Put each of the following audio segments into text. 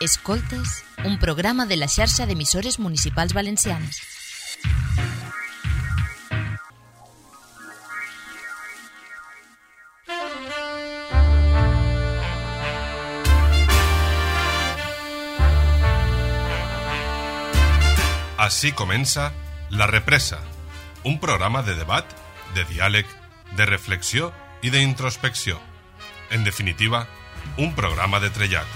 Escoltes, un programa de la xarxa d'emissores municipals valencianes. Así comença La Represa, un programa de debat, de diàleg, de reflexió i d'introspecció. En definitiva, un programa de trellat.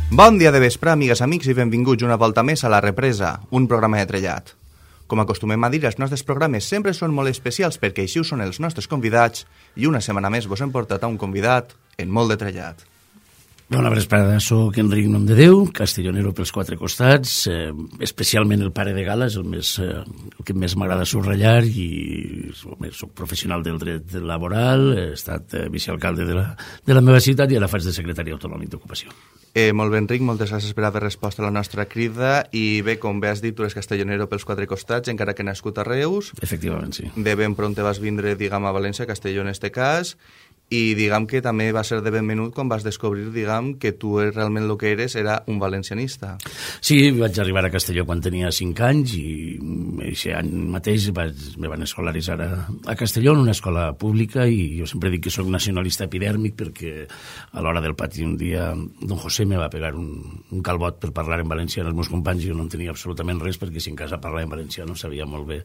Bon dia de vespre, amigues, amics, i benvinguts una volta més a La Represa, un programa de trellat. Com acostumem a dir, els nostres programes sempre són molt especials perquè així ho són els nostres convidats i una setmana més vos hem portat a un convidat en molt de trellat. Bona vesprada, soc Enric Nomdedeu, castellonero pels quatre costats, especialment el pare de Gala, és el que més m'agrada subratllar, i soc professional del dret laboral, he estat vicealcalde de la meva ciutat i ara faig de secretari autonòmic d'ocupació. Molt bé, Enric, moltes gràcies per haver respost a la nostra crida, i bé, com bé has dit, tu eres castellonero pels quatre costats, encara que nascut a Reus. Efectivament, sí. De ben pront te vas vindre, diguem, a València, Castelló en este cas, i diguem que també va ser de ben menut quan vas descobrir, diguem, que tu realment el que eres era un valencianista. Sí, vaig arribar a Castelló quan tenia 5 anys i aquest any mateix me van escolaritzar a Castelló en una escola pública, i jo sempre dic que soc nacionalista epidèrmic perquè a l'hora del pati un dia don José me va pegar un calbot per parlar en valencià als meus companys, i jo no en tenia absolutament res perquè si en casa parlava en valencià no sabia molt bé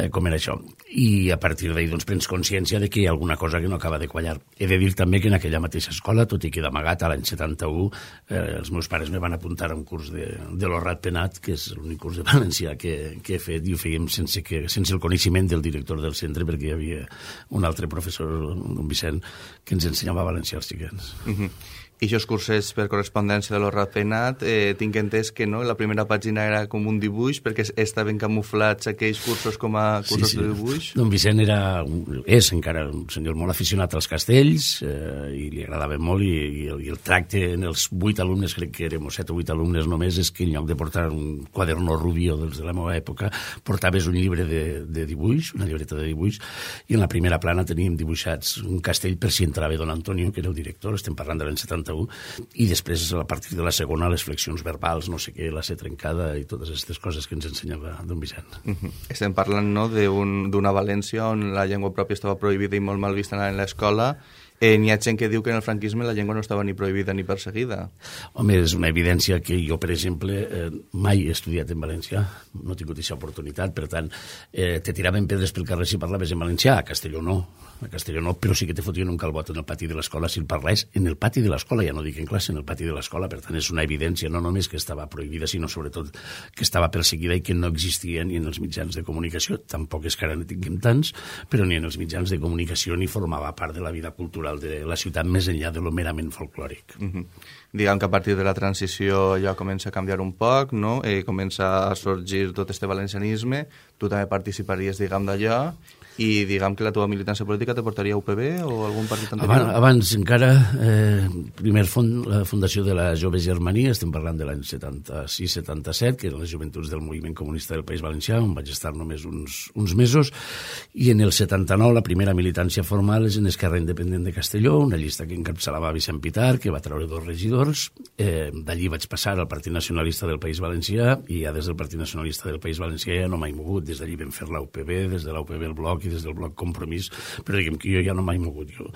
com era això. I a partir d'ahir doncs prens consciència de que hi ha alguna cosa que no acaba de quallar. He de dir també que en aquella mateixa escola, tot i que d'amagat a l'any 71, els meus pares me van apuntar a un curs de l'Horrat Penat, que és l'únic curs de valencià que he fet, i ho fèiem sense el coneixement del director del centre, perquè hi havia un altre professor, don Vicent, que ens ensenyava valencià als xiquets. I aquests cursos per correspondència de l'Horrat Penat, tinc entès que no, la primera pàgina era com un dibuix, perquè estaven camuflats aquells cursos com a cursos de dibuix. Don Vicent és encara un senyor molt aficionat als castells, i li agradava molt, i el tracte en els 8 alumnes, crec que érem 7 o 8 alumnes només, és que en lloc de portar un quaderno rubio dels de la meva època, portaves un llibre de dibuix, una llibreta de dibuix, i en la primera plana teníem dibuixats un castell per si entrava don Antonio, que era el director, estem parlant de l'any 71, i després a partir de la segona les flexions verbals, no sé què, la C trencada i totes aquestes coses que ens ensenyava don Vicent. Estem parlant, no, d'una València on la llengua pròpia estava prohibida i molt mal vista en l'escola. N'hi ha gent que diu que en el franquisme la llengua no estava ni prohibida ni perseguida. Home, és una evidència que jo, per exemple, mai he estudiat en valencià, no he tingut aquesta oportunitat, per tant, te tiraven pedres pel carrer si parlaves en valencià, a Castelló no, però sí que te fotien un calbot en el pati de l'escola si el parlés en el pati de l'escola, ja no dic en classe, en el pati de l'escola. Per tant, és una evidència no només que estava prohibida, sinó sobretot que estava perseguida i que no existia ni en els mitjans de comunicació, tampoc és que ara ne tinguem tants, però ni en els mitjans de comunicació ni formava part de la vida cultural de la ciutat més enllà de lo merament folclòric. Diguem que a partir de la transició ja comença a canviar un poc, no? Comença a sorgir tot este valencianisme, tu també participaries, diguem, d'allò, i diguem que la teva militància política te portaria a UPB o algun partit anterior? Abans encara, primer la fundació de la Jove Germania, estem parlant de l'any 76-77, que eren les joventuts del moviment comunista del País Valencià, on vaig estar només uns mesos, i en el 79 la primera militància formal és en Esquerra Independent de Castelló, una llista que encapçalava Vicent Pitar, que va treure 2 regidors. D'allí vaig passar al Partit Nacionalista del País Valencià, i ja des del Partit Nacionalista del País Valencià ja no m'he mogut. Des d'allí vam fer la UPB, des de la UPB el Bloc i des del Bloc Compromís, però diguem que jo ja no m'he mogut. Jo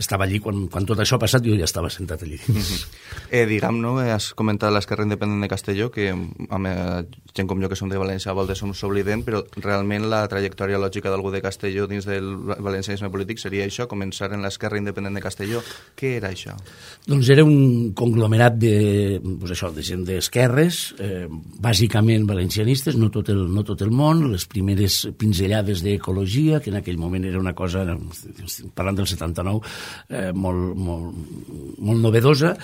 estava allí, quan tot això ha passat, jo ja estava sentat allí dins. Diguem, no, has comentat l'Esquerra Independent de Castelló, que gent com jo que som de València a voltes s'oblidem, però realment la trajectòria lògica d'algú de Castelló dins del valencianisme polític seria això, començar en l'Esquerra Independent de Castelló. Què era això? Doncs era un conglomerat de gent d'esquerres, bàsicament valencianistes, no tot el món, les primeres pinzellades d'ecologia, que en aquell moment era una cosa, parlant del 79, molt novedosa,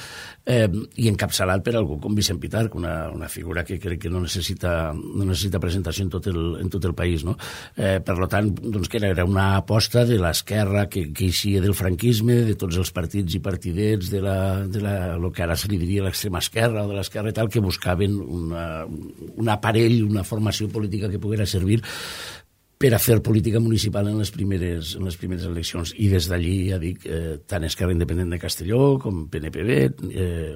i encapçalat per algú com Vicent Pitar, una figura que crec que no necessita presentació en tot el país, no? Per tant, doncs, que era una aposta de l'esquerra que eixia del franquisme, de tots els partits i partidets de lo que ara se li diria l'extrema esquerra o de l'esquerra i tal, que buscaven un aparell, una formació política que poguera servir per a fer política municipal en les primeres eleccions. I des d'allí, ja dic, tant Esquerra Independent de Castelló com PNPB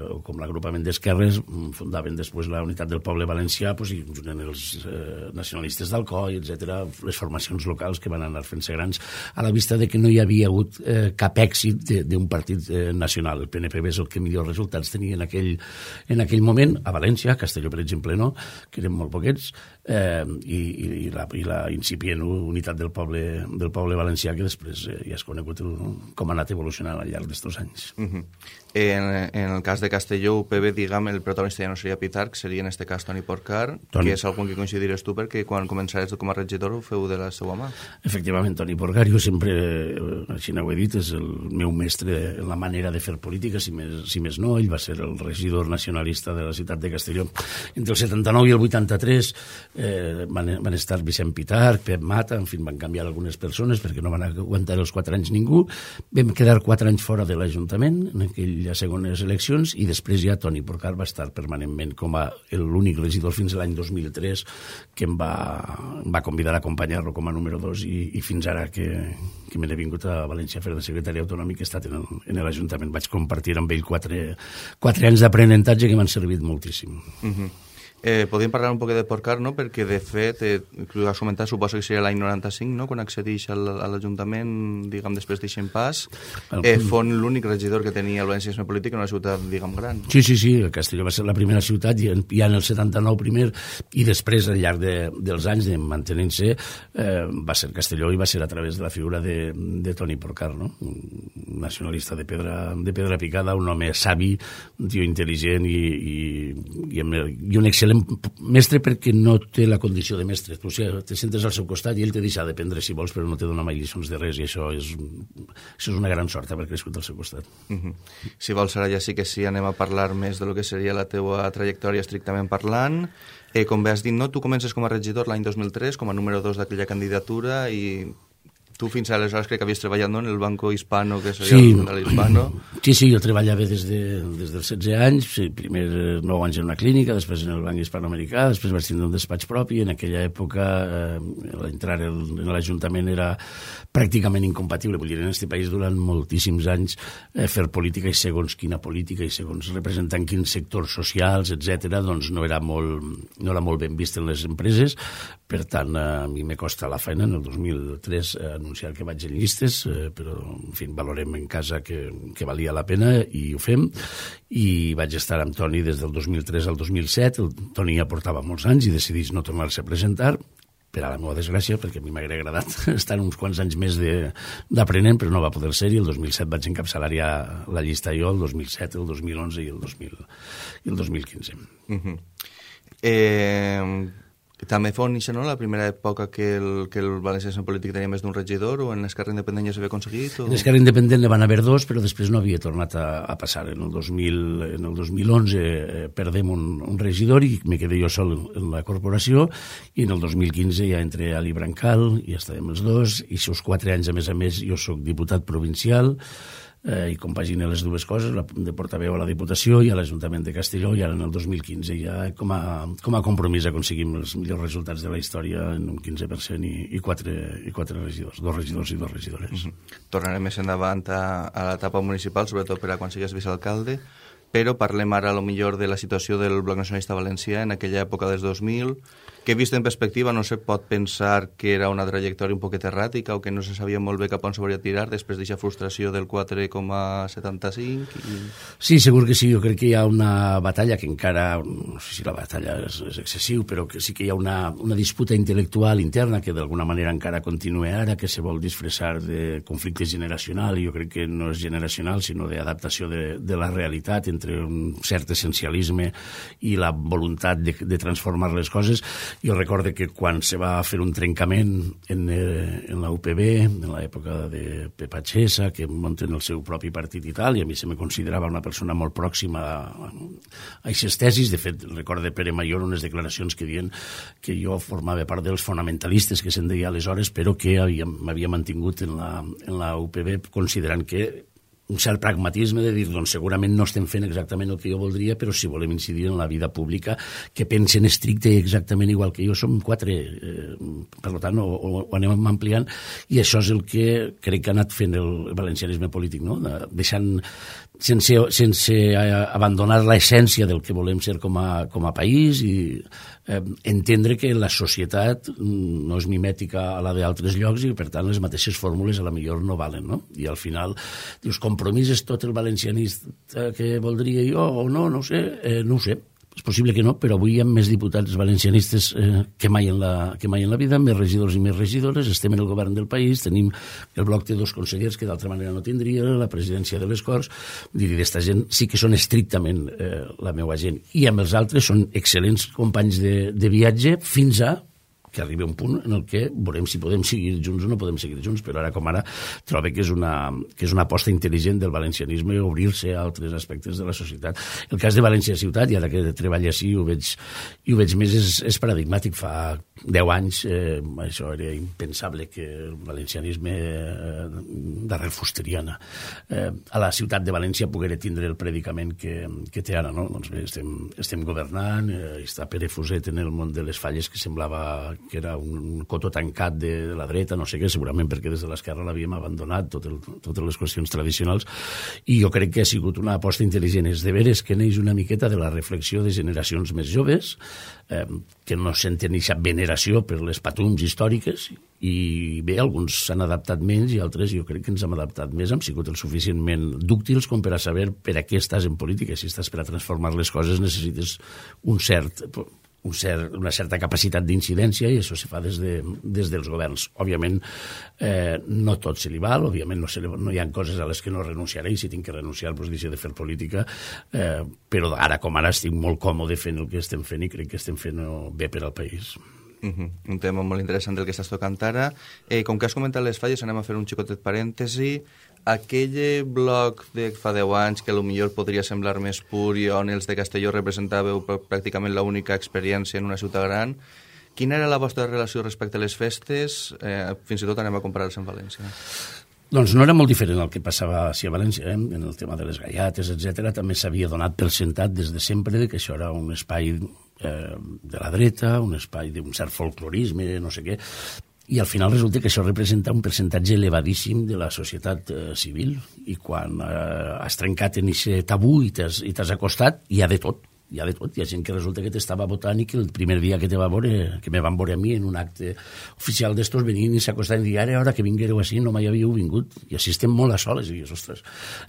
o com l'agrupament d'esquerres fundaven després la Unitat del Poble Valencià, i junt els nacionalistes d'Alcoi, etc., les formacions locals que van anar fent-se grans a la vista de que no hi havia hagut cap èxit d'un partit nacional. El PNPB és el que millors resultats tenia en aquell moment, a València, a Castelló, per exemple, no, que eren molt poquets, i la incipient Unitat del Poble Valencià, que després ja has conegut com ha anat evolucionant al llarg d'estos anys. En el cas de Castelló, UPB, diguem, el protagonista ja no seria Pitarch, seria en este cas Toni Porcar, que és algun que coincidiràs tu, perquè quan començaràs com a regidor ho feu de la seva mà. Efectivament, Toni Porcar, jo sempre, així no ho he dit, és el meu mestre en la manera de fer política, si més no. Ell va ser el regidor nacionalista de la ciutat de Castelló. Entre el 79 i el 83 van estar Vicent Pitarch, Pep Mata, en fi, van canviar algunes persones perquè no van aguantar els 4 anys ningú. Vam quedar 4 anys fora de l'Ajuntament en aquelles segones eleccions i després ja Toni Porcar va estar permanentment com a l'únic regidor fins a l'any 2003 que em va convidar a acompanyar-lo com a número 2 i fins ara que me n'he vingut a València a fer de secretari autonòmic he estat en l'Ajuntament. Vaig compartir amb ell 4 anys d'aprenentatge que m'han servit moltíssim. Podríem parlar un poc de Porcar, no? Perquè de fet, ho has comentat, suposo que seria l'any 95, no? Quan accedeix a l'Ajuntament, diguem, després d'eixen pas, fon l'únic regidor que tenia el valencianisme polític en una ciutat, diguem, gran. Sí, Castelló va ser la primera ciutat, ja en el 79 primer, i després, al llarg dels anys de mantenint-se, va ser Castelló i va ser a través de la figura de Toni Porcar, no? Un nacionalista de pedra picada, un home savi, un tio intel·ligent i un excel·lent mestre perquè no té la condició de mestre. Tu te sentes al seu costat i ell te deixa d'aprendre si vols, però no te dona mai lliçons de res i això és una gran sort haver crescut al seu costat. Si vols, ara ja sí que sí, anem a parlar més de lo que seria la teua trajectòria estrictament parlant. Com bé has dit, no? Tu comences com a regidor l'any 2003, com a número 2 d'aquella candidatura i tu fins aleshores crec que havies treballat en el Banco Hispano, que seria l'Hispano. Sí, jo treballava des dels 16 anys, primer 9 anys en una clínica, després en el Banc Hispanoamericà, després vaig tindre un despatx propi, en aquella època entrar en l'Ajuntament era pràcticament incompatible, vull dir, en aquest país durant moltíssims anys fer política i segons quina política i segons representant quins sectors socials, etc., doncs no era molt ben vist en les empreses, per tant, a mi me costa la feina en el 2003 anunciar que vaig en llistes, però, en fi, valorem en casa que valia la pena i ho fem, i vaig estar amb Toni des del 2003 al 2007, el Toni ja portava molts anys i decidís no tornar-se a presentar, per a la meva desgràcia, perquè a mi m'hauria agradat estar uns quants anys més d'aprenent, però no va poder ser, i el 2007 vaig encapçalar ja la llista jo, el 2007, el 2011 i el 2015. També fou això, no?, la primera època que el valencianisme polític tenia més d'un regidor, o en l'Esquerra Independent ja s'havia aconseguit? En l'Esquerra Independent ne van haver 2, però després no havia tornat a passar. En el 2011 perdem un regidor i me quedé jo sol en la corporació, i en el 2015 ja entré a l'Ibrancal, i ja estàvem els dos, i aquests 4 anys, a més, jo soc diputat provincial, i compagina les dues coses, de portaveu a la Diputació i a l'Ajuntament de Castelló, i ara en el 2015 ja com a compromís aconseguim els millors resultats de la història en un 15% i 4 regidors, 2 regidors i 2 regidores. Tornarem més endavant a l'etapa municipal, sobretot per a quan sigues vicealcalde, però parlem ara millor de la situació del Bloc Nacionalista Valencià en aquella època dels 2000, que vist en perspectiva no se pot pensar que era una trajectòria un poquet erràtica o que no se sabia molt bé cap on s'hauria de tirar després d'aquesta frustració del 4,75. Sí, segur que sí. Jo crec que hi ha una batalla que encara, no sé si la batalla és excessiu, però que sí que hi ha una disputa intel·lectual interna que d'alguna manera encara continua ara, que se vol disfressar de conflicte generacional, i jo crec que no és generacional, sinó d'adaptació de la realitat entre un cert essencialisme i la voluntat de transformar les coses. Jo recordo que quan se va fer un trencament en la UPB, en l'època de Pepa Chesa, que munten el seu propi partit i tal, i a mi se me considerava una persona molt pròxima a aquestes tesis. De fet, recordo Pere Mayor unes declaracions que diuen que jo formava part dels fonamentalistes que se'n deia aleshores, però que m'havia mantingut en la UPB considerant que un cert pragmatisme de dir, doncs segurament no estem fent exactament el que jo voldria, però si volem incidir en la vida pública, que pensen estricte exactament igual que jo, som 4, per tant ho anem ampliant, i això és el que crec que ha anat fent el valencianisme polític, no? Deixant, sense abandonar l'essència del que volem ser com a país, i entendre que la societat no és mimètica a la d'altres llocs i per tant les mateixes fórmules a la millor no valen, no? I al final dius, compromís és tot el valencianista que voldria jo o no, no ho sé, és possible que no, però avui hi ha més diputats valencianistes que mai en la vida, més regidors i més regidores, estem en el govern del país, tenim el bloc té 2 consellers que d'altra manera no tindria, la presidència de les Corts, vull dir, aquesta gent sí que són estrictament la meva gent, i amb els altres són excel·lents companys de viatge fins a que arribi un punt en el que veurem si podem seguir junts o no podem seguir junts, però ara com ara trobo que és una aposta intel·ligent del valencianisme obrir-se a altres aspectes de la societat. El cas de València Ciutat, i ara que treballo així ho veig més, és paradigmàtic. Fa 10 anys això era impensable que el valencianisme d'arrel fusteriana a la ciutat de València poguera tindre el predicament que té ara, no? Doncs bé, estem governant, està Pere Fuset en el món de les falles, que semblava que era un cotó tancat de la dreta, no sé què, segurament perquè des de l'esquerra l'havíem abandonat, totes les qüestions tradicionals, i jo crec que ha sigut una aposta intel·ligent. És de veres que neix una miqueta de la reflexió de generacions més joves, que no senten aquesta veneració per les patums històriques, i bé, alguns s'han adaptat menys i altres jo crec que ens hem adaptat més, hem sigut el suficientment dúctils com per a saber per a què estàs en política. Si estàs per a transformar les coses necessites una certa capacitat d'incidència, i això se fa des dels governs. Òbviament, no tot se li val, òbviament no hi ha coses a les que no renunciaré, i si tinc que renunciar, doncs deixo de fer política, però ara com ara estic molt còmode fent el que estem fent i crec que estem fent bé per al país. Un tema molt interessant del que estàs tocant ara. Com que has comentat les falles, anem a fer un xicotet parèntesi. Aquell bloc de fa 10 anys que potser podria semblar més pur i on els de Castelló representàveu pràcticament l'única experiència en una ciutat gran, quina era la vostra relació respecte a les festes? Fins i tot anem a comparar-les amb València. Doncs no era molt diferent el que passava a València, en el tema de les gallates, etc. També s'havia donat per sentat des de sempre que això era un espai de la dreta, un espai d'un cert folclorisme, no sé què, i al final resulta que això representa un percentatge elevadíssim de la societat civil, i quan has trencat en aquest tabú i t'has acostat, hi ha de tot. Hi ha gent que resulta que t'estava votant i que el primer dia que me van veure a mi en un acte oficial d'estos venien i s'acostaven i dir, ara que vinguéreu així no mai havíeu vingut, i així estem molt a soles. I dius, ostres,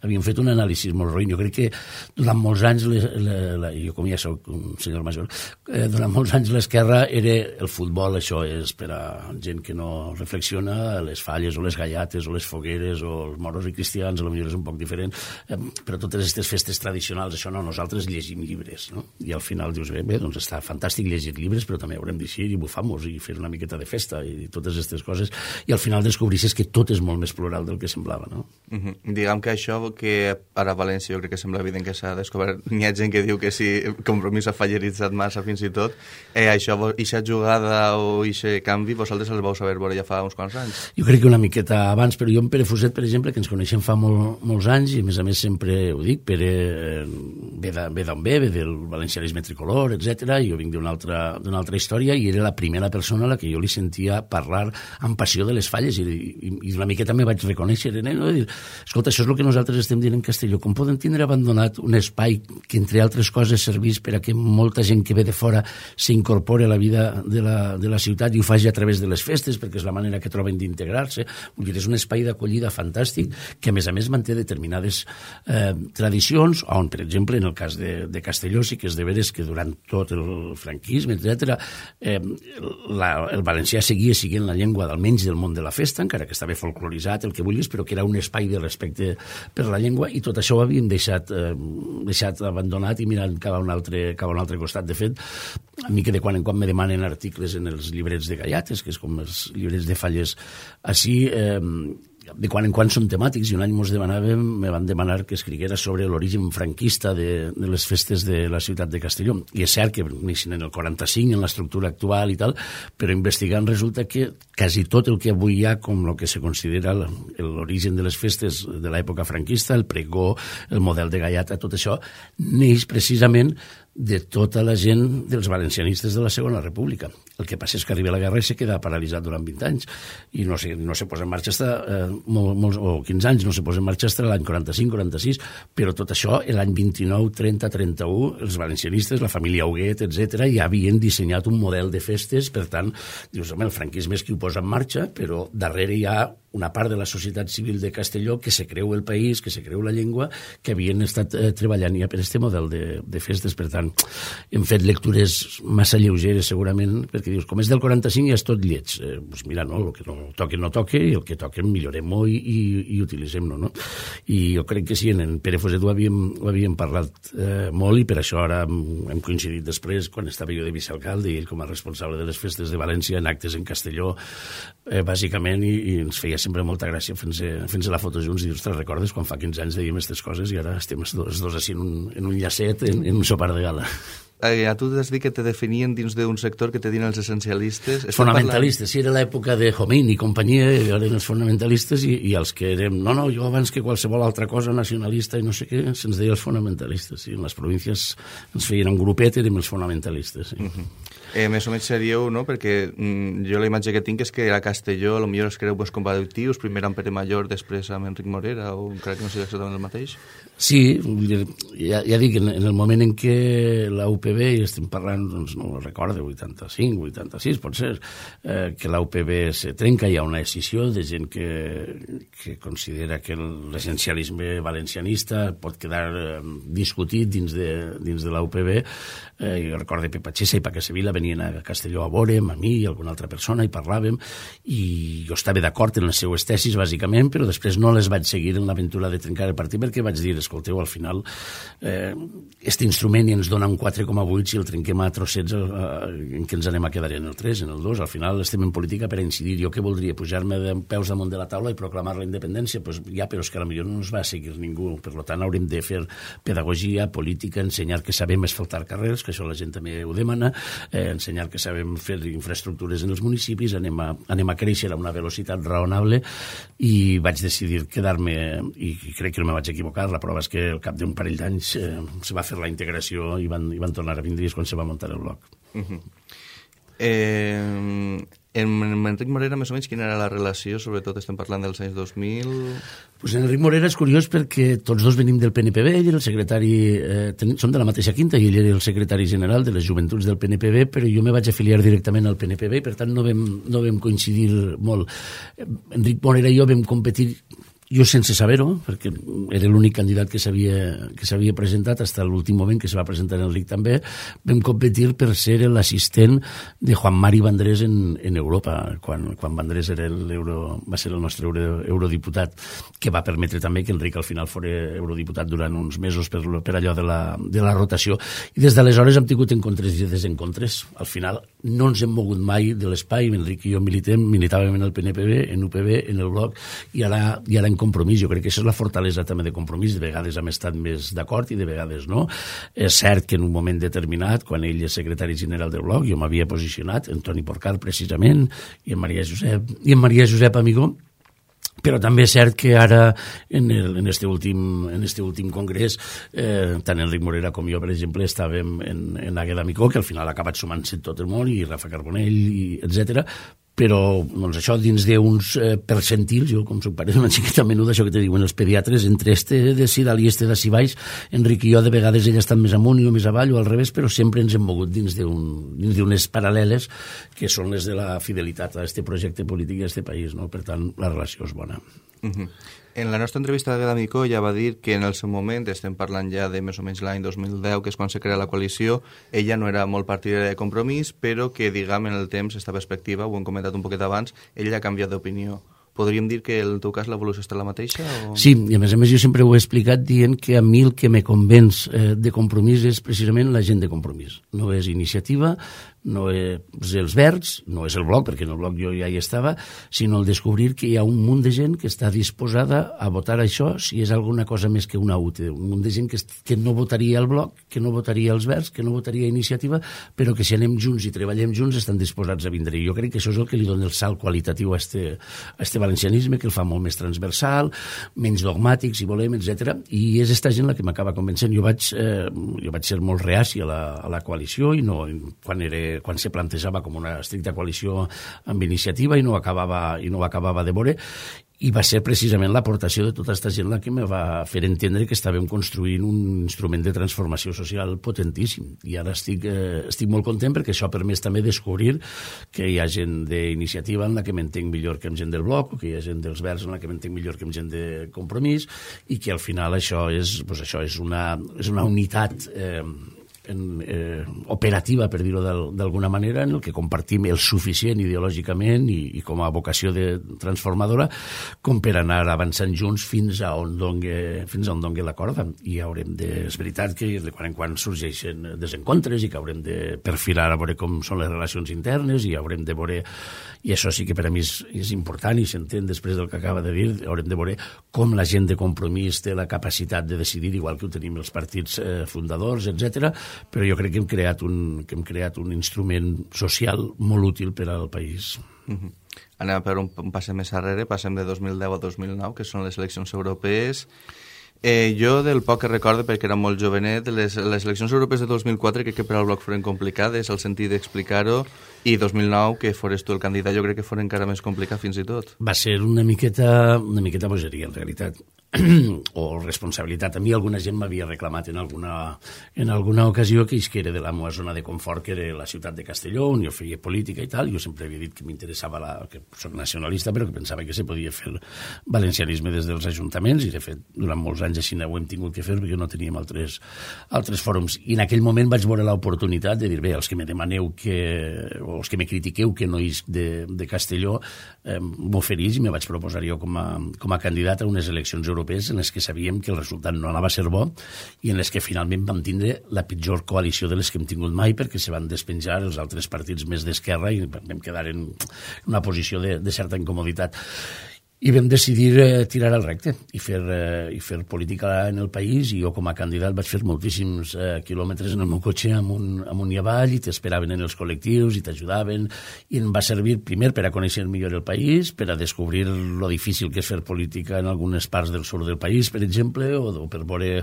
havíem fet un anàlisi molt ruïn. Jo crec que durant molts anys, jo com ja soc un senyor major, durant molts anys l'esquerra era el futbol, això és per a gent que no reflexiona, les falles o les gallates o les fogueres o els moros i cristians, potser és un poc diferent, però totes aquestes festes tradicionals, això no, nosaltres llegim llibres, no? I al final dius, bé, doncs està fantàstic llegir llibres, però també haurem d'eixir i bufar-nos i fer una miqueta de festa i totes aquestes coses, i al final descobrissis que tot és molt més plural del que semblava, no? Diguem que això que ara a València jo crec que sembla evident que s'ha descobert, n'hi ha gent que diu que sí, Compromís ha falleritzat massa fins i tot, això, ixa jugada o ixe canvi, vosaltres els vau saber veure ja fa uns quants anys? Jo crec que una miqueta abans, però jo amb Pere Fuset, per exemple, que ens coneixem fa molts anys, i a més sempre ho dic, Pere ve d'on ve del valencianisme tricolor, etc. Jo vinc d'una altra història, i era la primera persona a la que jo li sentia parlar amb passió de les falles, i una miqueta me vaig reconèixer en ell, no? De dir, escolta, això és el que nosaltres estem dient en Castelló, com poden tindre abandonat un espai que, entre altres coses, servís per a que molta gent que ve de fora s'incorpore a la vida de la ciutat i ho faci a través de les festes, perquè és la manera que troben d'integrar-se. És un espai d'acollida fantàstic que, a més manté determinades tradicions, on, per exemple, en el cas de Castelló, sí que és de veres que durant tot el franquisme, etc., el valencià seguia sent la llengua almenys del món de la festa, encara que estava folcloritzat, el que vulguis, però que era un espai de respecte per la llengua, i tot això ho havíem deixat abandonat i mirant cap a un altre costat. De fet, a mi que de quan en quan me demanen articles en els llibrets de gallates, que és com els llibrets de falles així, de quan en quan són temàtics, i un any me van demanar que escriguera sobre l'origen franquista de les festes de la ciutat de Castelló. I és cert que neixen en el 45, en l'estructura actual i tal, però investigant resulta que quasi tot el que avui hi ha com el que se considera l'origen de les festes de l'època franquista, el pregó, el model de gaiata, tot això, neix precisament de tota la gent dels valencianistes de la Segona República. El que passa és que arriba la guerra i se queda paralitzat durant 20 anys i no se posa en marxa o 15 anys, no se posa en marxa fins l'any 45-46, però tot això, l'any 29, 30, 31, els valencianistes, la família Huguet, etc., ja havien dissenyat un model de festes. Per tant, dius, home, el franquisme és qui ho posa en marxa, però darrere hi ha una part de la societat civil de Castelló que se creu el país, que se creu la llengua, que havien estat treballant ja per aquest model de festes. Per tant, hem fet lectures massa lleugeres, segurament, perquè dius, com és del 45 ja és tot lleig. Doncs mira, no, el que no toque, i el que toque millorem-ho i utilitzem-lo, no? I jo crec que sí, en Pere Fuset ho havíem parlat molt, i per això ara hem coincidit després, quan estava jo de vicealcalde i ell com a responsable de les festes de València, en actes en Castelló, bàsicament, i ens feia sempre molta gràcia fent-se la foto junts i dius, te'n recordes quan fa 15 anys dèiem aquestes coses i ara estem els dos així en un llacet, en un sopar de gala. A tu t'has dit que te definien dins d'un sector que te diuen els essencialistes. Fonamentalistes, sí, era l'època de Jomín i companyia, eren els fonamentalistes i els que érem, no, jo abans que qualsevol altra cosa nacionalista i no sé què, se'ns deia els fonamentalistes, sí, en les províncies ens feien un grupet, érem els fonamentalistes, sí. Més o menys seríeu, no? Perquè jo la imatge que tinc és que a Castelló potser es creu comparatius, primer amb Pere Mallor, després amb Enric Morera, o crec que no sigui exactament el mateix? Sí, ja dic, en el moment en què la UPB, i estem parlant, doncs no ho recordo, 85, 86, pot ser, que la UPB se trenca, hi ha una decisió de gent que considera que l'essencialisme valencianista pot quedar discutit dins de la UPB. Jo recordo Pepa Xessa i Paca Sevilla venien a Castelló a veure'm, a mi i alguna altra persona, i parlàvem, i jo estava d'acord en les seues tesis, bàsicament, però després no les vaig seguir en l'aventura de trencar el partit, perquè vaig dir, escolteu, al final, aquest instrument ens dona un 4,8 si el trenquem a trossets en què ens anem a quedar en el 3, en el 2. Al final estem en política per a incidir. Jo que voldria pujar-me de peus damunt de la taula i proclamar la independència, doncs ja, però és que potser no ens va seguir ningú. Per tant, haurem de fer pedagogia, política, ensenyar que sabem asfaltar carrers, que això la gent també ho demana, ensenyar que sabem fer infraestructures en els municipis, anem a créixer a una velocitat raonable, i vaig decidir quedar-me, i crec que no me vaig equivocar, la prova és que al cap d'un parell d'anys se va fer la integració i van tornar a vindre quan se va muntar el bloc. En Enric Morera, més o menys, quina era la relació? Sobretot estem parlant dels anys 2000... Pues en Enric Morera és curiós perquè tots dos venim del PNPB, ell era el secretari, som de la mateixa quinta, i ell era el secretari general de les joventuts del PNPB, però jo me vaig afiliar directament al PNPB, i per tant no vam coincidir molt. Enric Morera i jo vam competir, jo sense saber-ho, perquè era l'únic candidat que s'havia presentat fins a l'últim moment que se va presentar Enric també, vam competir per ser l'assistent de Juan Mari Vandrés en Europa, quan Vandrés va ser el nostre eurodiputat, que va permetre també que Enric al final fos eurodiputat durant uns mesos per allò de la rotació. I des d'aleshores hem tingut encontres i desencontres. Al final no ens hem mogut mai de l'espai, Enric i jo militàvem en el PNPB, en UPB, en el Bloc, i ara en Compromís. Jo crec que això és la fortalesa també de Compromís. De vegades hem estat més d'acord i de vegades no. És cert que en un moment determinat, quan ell és secretari general del Bloc, jo m'havia posicionat, en Toni Porcar precisament, i en Maria Josep Amigó, però també és cert que ara en este últim congrés tant Enric Morera com jo, per exemple, estàvem en Àgueda Micó, que al final ha acabat sumant-se tot el món, i Rafa Carbonell, etc. Però doncs, això dins d'uns percentils, jo com soc pare d'una xiqueta menuda, això que te diuen els pediatres, entre este de si dalt i este de si baix, Enric i jo de vegades ell ha estat més amunt i jo més avall o al revés, però sempre ens hem mogut dins d'unes paral·leles que són les de la fidelitat a este projecte polític i a este país, no? Per tant, la relació és bona. En la nostra entrevista d'Àgueda Micó ja va dir que en el seu moment, estem parlant ja de més o menys l'any 2010, que és quan se crea la coalició, ella no era molt partidària de Compromís, però que, diguem, en el temps, esta perspectiva, ho hem comentat un poquet abans, ella ha canviat d'opinió. Podríem dir que en el teu cas l'evolució està la mateixa? O... Sí, i a més jo sempre ho he explicat dient que a mi el que me convenç de Compromís és precisament la gent de Compromís. No és iniciativa, no és els Verds, no és el Bloc, perquè en el Bloc jo ja hi estava, sinó el descobrir que hi ha un munt de gent que està disposada a votar això si és alguna cosa més que una UTE. Un munt de gent que no votaria el Bloc, que no votaria els Verds, que no votaria Iniciativa, però que si anem junts i treballem junts estan disposats a vindre. I jo crec que això és el que li dona el salt qualitatiu a este valencianisme, que el fa molt més transversal, menys dogmàtic, si volem, etc. I és esta gent la que m'acaba convencent. Jo vaig ser molt reaci a la coalició i no, quan se plantejava com una estricta coalició amb Iniciativa i no acabava de veure, i va ser precisament l'aportació de tota aquesta gent la que me va fer entendre que estàvem construint un instrument de transformació social potentíssim. I ara estic molt content perquè això ha permès també descobrir que hi ha gent d'Iniciativa en la que m'entenc millor que amb gent del Bloc, o que hi ha gent dels Verds en la que m'entenc millor que amb gent de Compromís, i que al final això és una unitat operativa, per dir-ho d'alguna manera, en el que compartim el suficient ideològicament i com a vocació transformadora com per anar avançant junts fins a on dongui la corda. I és veritat que de quan en quan sorgeixen desencontres i que haurem de perfilar a veure com són les relacions internes i haurem de veure, i això sí que per a mi és important i s'entén després del que acaba de dir, haurem de veure com la gent de Compromís té la capacitat de decidir, igual que ho tenim els partits fundadors, etc. Però jo crec que hem creat un instrument social molt útil per al país. Anem a per un passe més arrere, passem de 2010 a 2009, que són les eleccions europees. Jo, del poc que recordo, perquè era molt jovenet, les eleccions europees de 2004 crec que per al Bloc foren complicades, el sentit d'explicar-ho, i 2009, que fores tu el candidat, jo crec que fora encara més complicat fins i tot. Va ser una miqueta bogeria, en realitat, o responsabilitat. A mi alguna gent m'havia reclamat en alguna ocasió que isquera de la meva zona de confort, que era la ciutat de Castelló, on jo feia política i tal. Jo sempre havia dit que m'interessava, que soc nacionalista, però que pensava que se podia fer valencianisme des dels ajuntaments, i de fet, durant molts anys així ho hem tingut que fer, perquè no teníem altres fòrums. I en aquell moment vaig veure l'oportunitat de dir, bé, els que me demaneu o els que me critiqueu que no isc de Castelló, m'oferís i me vaig proposar jo com a candidat a unes eleccions europees en les que sabíem que el resultat no anava a ser bo i en les que finalment vam tindre la pitjor coalició de les que hem tingut mai, perquè se van despenjar els altres partits més d'esquerra i vam quedar en una posició de certa incomoditat. I vam decidir tirar al recte i fer política en el país, i jo com a candidat vaig fer moltíssims quilòmetres en el meu cotxe amunt i avall, i t'esperaven en els col·lectius i t'ajudaven, i em va servir primer per a conèixer millor el país, per a descobrir lo difícil que és fer política en algunes parts del sud del país, per exemple, o per veure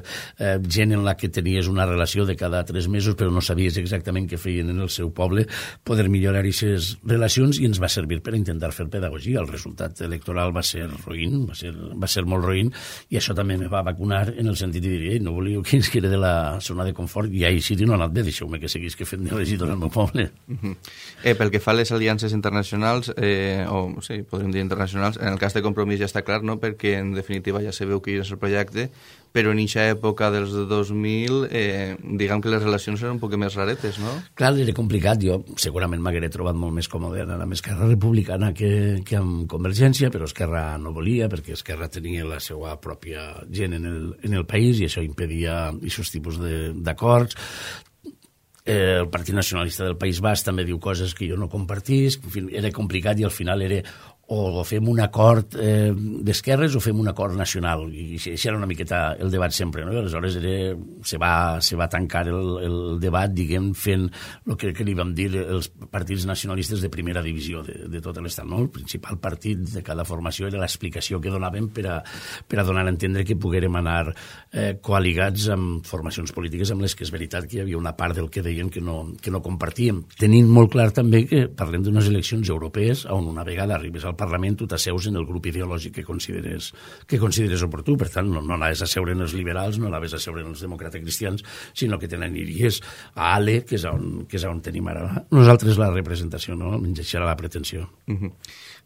gent en la que tenies una relació de cada 3 mesos però no sabies exactament què feien en el seu poble, poder millorar aquestes relacions, i ens va servir per a intentar fer pedagogia. El resultat electoral va ser roïn, va ser molt roïn, i això també me va vacunar en el sentit de dir, no volíeu que ens quede de la zona de confort, i així no ha anat bé, deixeu-me que seguís que fem de regidor al meu poble. Pel que fa a les aliances internacionals, podríem dir internacionals, en el cas de Compromís ja està clar, no? Perquè en definitiva ja se veu que és el projecte, però en aquesta època dels 2000, diguem que les relacions eren un poc més raretes, no? Clar, era complicat. Jo segurament m'hagueré trobat molt més còmode anar amb Esquerra Republicana que amb Convergència, però Esquerra no volia, perquè Esquerra tenia la seva pròpia gent en el país, i això impedia aquests tipus d'acords. El Partit Nacionalista del País Basc també diu coses que jo no compartisc. En fi, era complicat, i al final era o fem un acord d'esquerres o fem un acord nacional, i això era una miqueta el debat sempre, no? I aleshores se va tancar el debat, diguem, fent el que li vam dir els partits nacionalistes de primera divisió de tot l'estat, no? El principal partit de cada formació era l'explicació que donàvem per a donar a entendre que poguérem anar coaligats amb formacions polítiques amb les que és veritat que hi havia una part del que deien que no compartíem, tenint molt clar també que parlem d'unes eleccions europees on una vegada arribes al Parlament tu t'asseus en el grup ideològic que consideres oportú. Per tant, no anaves a seure en els liberals, no anaves a seure en els demòcrates cristians, sinó que te n'aniries a ALE, que és on tenim ara nosaltres la representació, no? Menys això era la pretensió.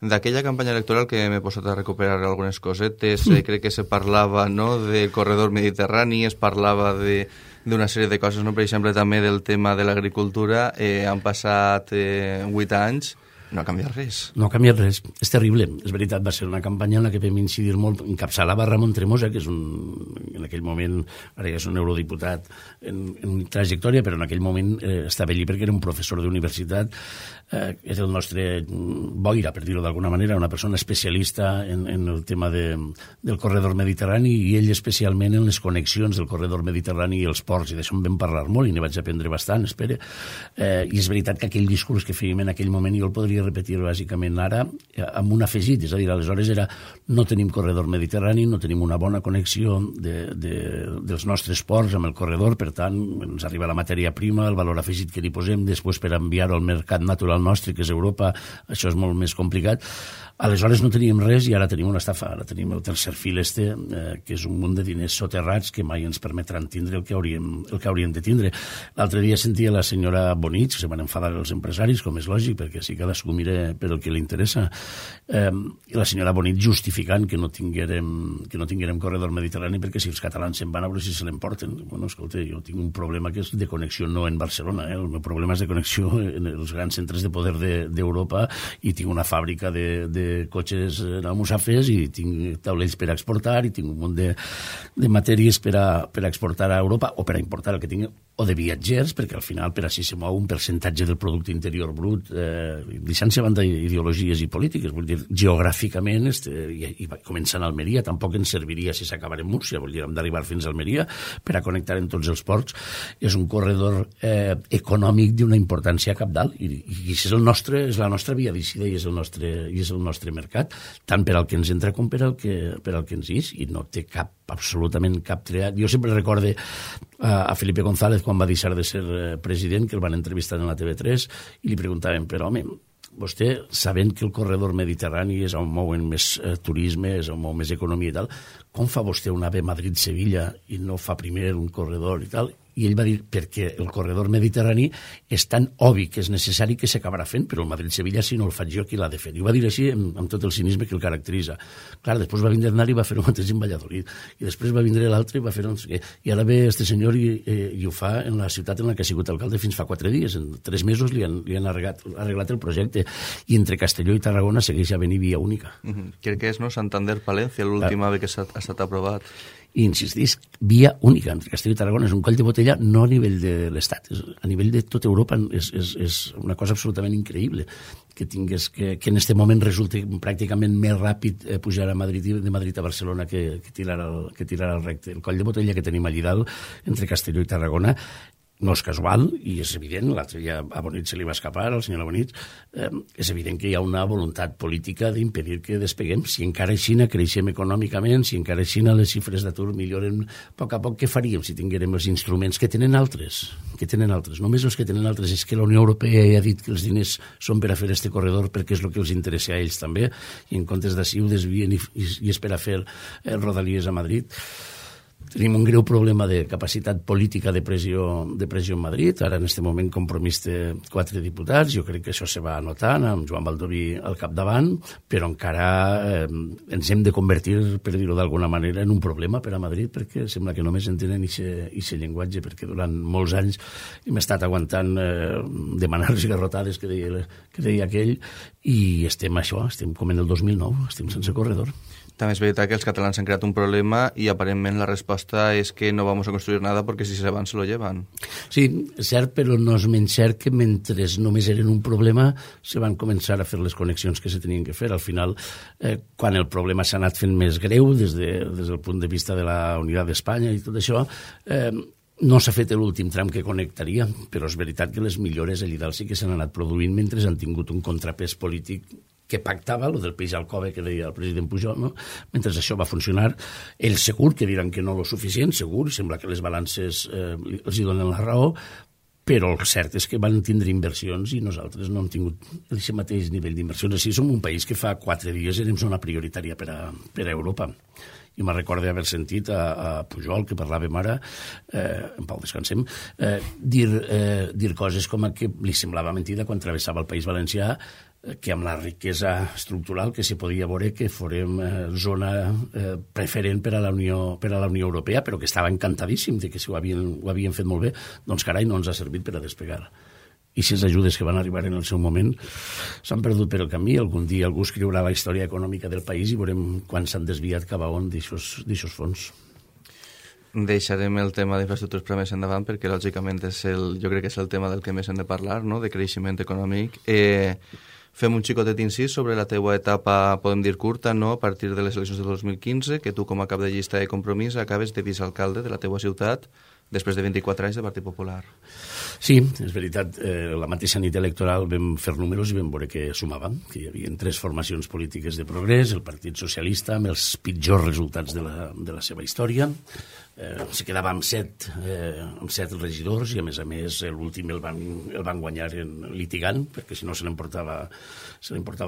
D'aquella campanya electoral que m'he posat a recuperar algunes cosetes, crec que se parlava, no, del corredor mediterrani, es parlava d'una sèrie de coses, no? Per exemple, també del tema de l'agricultura. Han passat 8 anys No ha canviat res. No ha canviat res. És terrible. És veritat, va ser una campanya en la que vam incidir molt. Encapçalava Ramon Tremosa, que és en aquell moment, ara ja és un eurodiputat en trajectòria, però en aquell moment estava allí perquè era un professor d'universitat, és el nostre boira, per dir-ho d'alguna manera, una persona especialista en el tema del corredor mediterrani, i ell especialment en les connexions del corredor mediterrani i els ports, i d'això en vam parlar molt i n'hi vaig aprendre bastant, espera. I és veritat que aquell discurs que fèiem en aquell moment jo el podria repetir bàsicament ara amb un afegit, és a dir, aleshores era no tenim corredor mediterrani, no tenim una bona connexió dels nostres ports amb el corredor, per tant ens arriba la matèria prima, el valor afegit que li posem després per enviar-ho al mercat natural nostre, que és Europa, això és molt més complicat. Aleshores no teníem res i ara tenim una estafa, ara tenim el tercer fil que és un munt de diners soterrats que mai ens permetran tindre el que hauríem de tindre. L'altre dia sentia la senyora Bonich, que se van enfadar els empresaris, com és lògic, perquè si cadascú mira per el que li interessa, i la senyora Bonich justificant que no tinguérem corredor mediterrani perquè si els catalans se'n van a veure si se l'emporten. Bueno, escolta, jo tinc un problema que és de connexió no en Barcelona, el meu problema és de connexió en els grans centres de poder d'Europa, i tinc una fàbrica de cotxes almussafes i tinc taulells per exportar i tinc un munt de matèries per a exportar a Europa o per a importar el que tinc, o de viatgers, perquè al final per així se mou un percentatge del producte interior brut, deixant-se a banda ideologies i polítiques, vull dir, geogràficament, i començant a Almeria, tampoc ens serviria si s'acabara en Múrcia, vull dir, hem d'arribar fins a Almeria per a connectar en tots els ports. És un corredor econòmic d'una importància cabdal, i és la nostra via d'eixida i és el nostre mercat, tant per al que ens entra com per al que ens ix, i no té absolutament cap treat. Jo sempre recorde a Felipe González quan va deixar de ser president, que el van entrevistar en la TV3 i li preguntaven, però home, vostè, sabent que el corredor mediterrani és on mouen més turisme, és on mou més economia i tal, com fa vostè un AVE Madrid-Sevilla i no fa primer un corredor i tal? I ell va dir, perquè el corredor mediterrani és tan obvi que és necessari que s'acabarà fent, però el Madrid-Sevilla, si no el faig jo, qui l'ha de fer? I ho va dir així amb tot el cinisme que el caracteritza. Clar, després va vindre Aznar i va fer el mateix en Valladolid, i després va vindre l'altre i va fer no sé què. I ara ve este senyor i ho fa en la ciutat en la que ha sigut alcalde fins fa 4 dies. En 3 mesos li han arreglat el projecte, i entre Castelló i Tarragona segueix havent-hi via única. Crec que és, no?, Santander-Palencia, l'última vez que s'ha estat aprovat. I insistís, via única entre Castelló i Tarragona, és un coll de botella no a nivell de l'Estat, a nivell de tota Europa. És una cosa absolutament increïble que tingués que en aquest moment resulti pràcticament més ràpid pujar a Madrid, de Madrid a Barcelona que tirar el recte. El coll de botella que tenim allà dalt entre Castelló i Tarragona no és casual, i és evident, l'altre dia a Bonich se li va escapar, al senyor Bonich, és evident que hi ha una voluntat política d'impedir que despeguem. Si encara així creixem econòmicament, si encara així les xifres d'atur milloren a poc, què faríem si tinguérem els instruments que tenen altres? Només els que tenen altres. És que la Unió Europea ja ha dit que els diners són per a fer este corredor perquè és el que els interessa a ells també, i en comptes d'ací ho desvien i és per a fer rodalies a Madrid. Tenim un greu problema de capacitat política de pressió en Madrid. Ara, en aquest moment, Compromís té 4 diputats. Jo crec que això se va anotant, amb Joan Baldoví al capdavant, però encara ens hem de convertir, per dir-ho d'alguna manera, en un problema per a Madrid, perquè sembla que només entenen aquest llenguatge, perquè durant molts anys hem estat aguantant demanar-los garrotades, que deia aquell, i estem com en el 2009, estem sense corredor. També és veritat que els catalans han creat un problema i aparentment la resposta és que no vamos a construir nada porque si se van se lo llevan. Sí, és cert, però no és menys cert que mentre només eren un problema se van començar a fer les connexions que se tenien que fer. Al final, quan el problema s'ha anat fent més greu des del punt de vista de la unitat d'Espanya i tot això, no s'ha fet l'últim tram que connectaria, però és veritat que les millores allà dalt sí que s'han anat produint mentre han tingut un contrapès polític que pactava, el del peix al cove que deia el president Pujol, no? Mentre això va funcionar, ells segur que diran que no lo suficient, segur, sembla que les balances els hi donen la raó, però el cert és que van tindre inversions i nosaltres no hem tingut aquest mateix nivell d'inversions. Així som un país que fa 4 dies érem zona prioritària per a Europa. I me'n recordo haver sentit a Pujol, que parlàvem ara, en pau descansem, dir coses com que li semblava mentida quan travessava el País Valencià, que amb la riquesa estructural que se podia veure que fórem zona preferent per a la Unió Europea, però que estava encantadíssim de que ho havien fet molt bé. Doncs carai, no ens ha servit per a despegar. i aquestes ajudes que van arribar en el seu moment s'han perdut per el camí. Algun dia algú escriurà la història econòmica del país i veurem quan s'han desviat cap a on d'aixòs fons. Deixarem el tema d'infraestructures per més endavant perquè lògicament jo crec que és el tema del que més hem de parlar, no? De creixement econòmic. Fem un xicotet incís sobre la teua etapa, podem dir curta, no? A partir de les eleccions de 2015, que tu com a cap de llista de Compromís acabes de vicealcalde de la teua ciutat després de 24 anys de Partit Popular. Sí, és veritat. La mateixa nit electoral vam fer números i vam veure que sumàvem, que hi havia 3 formacions polítiques de progrés, el Partit Socialista, amb els pitjors resultats de la seva història. Se quedava amb 7 regidors i a més l'últim el van guanyar litigant, perquè si no se l'emportava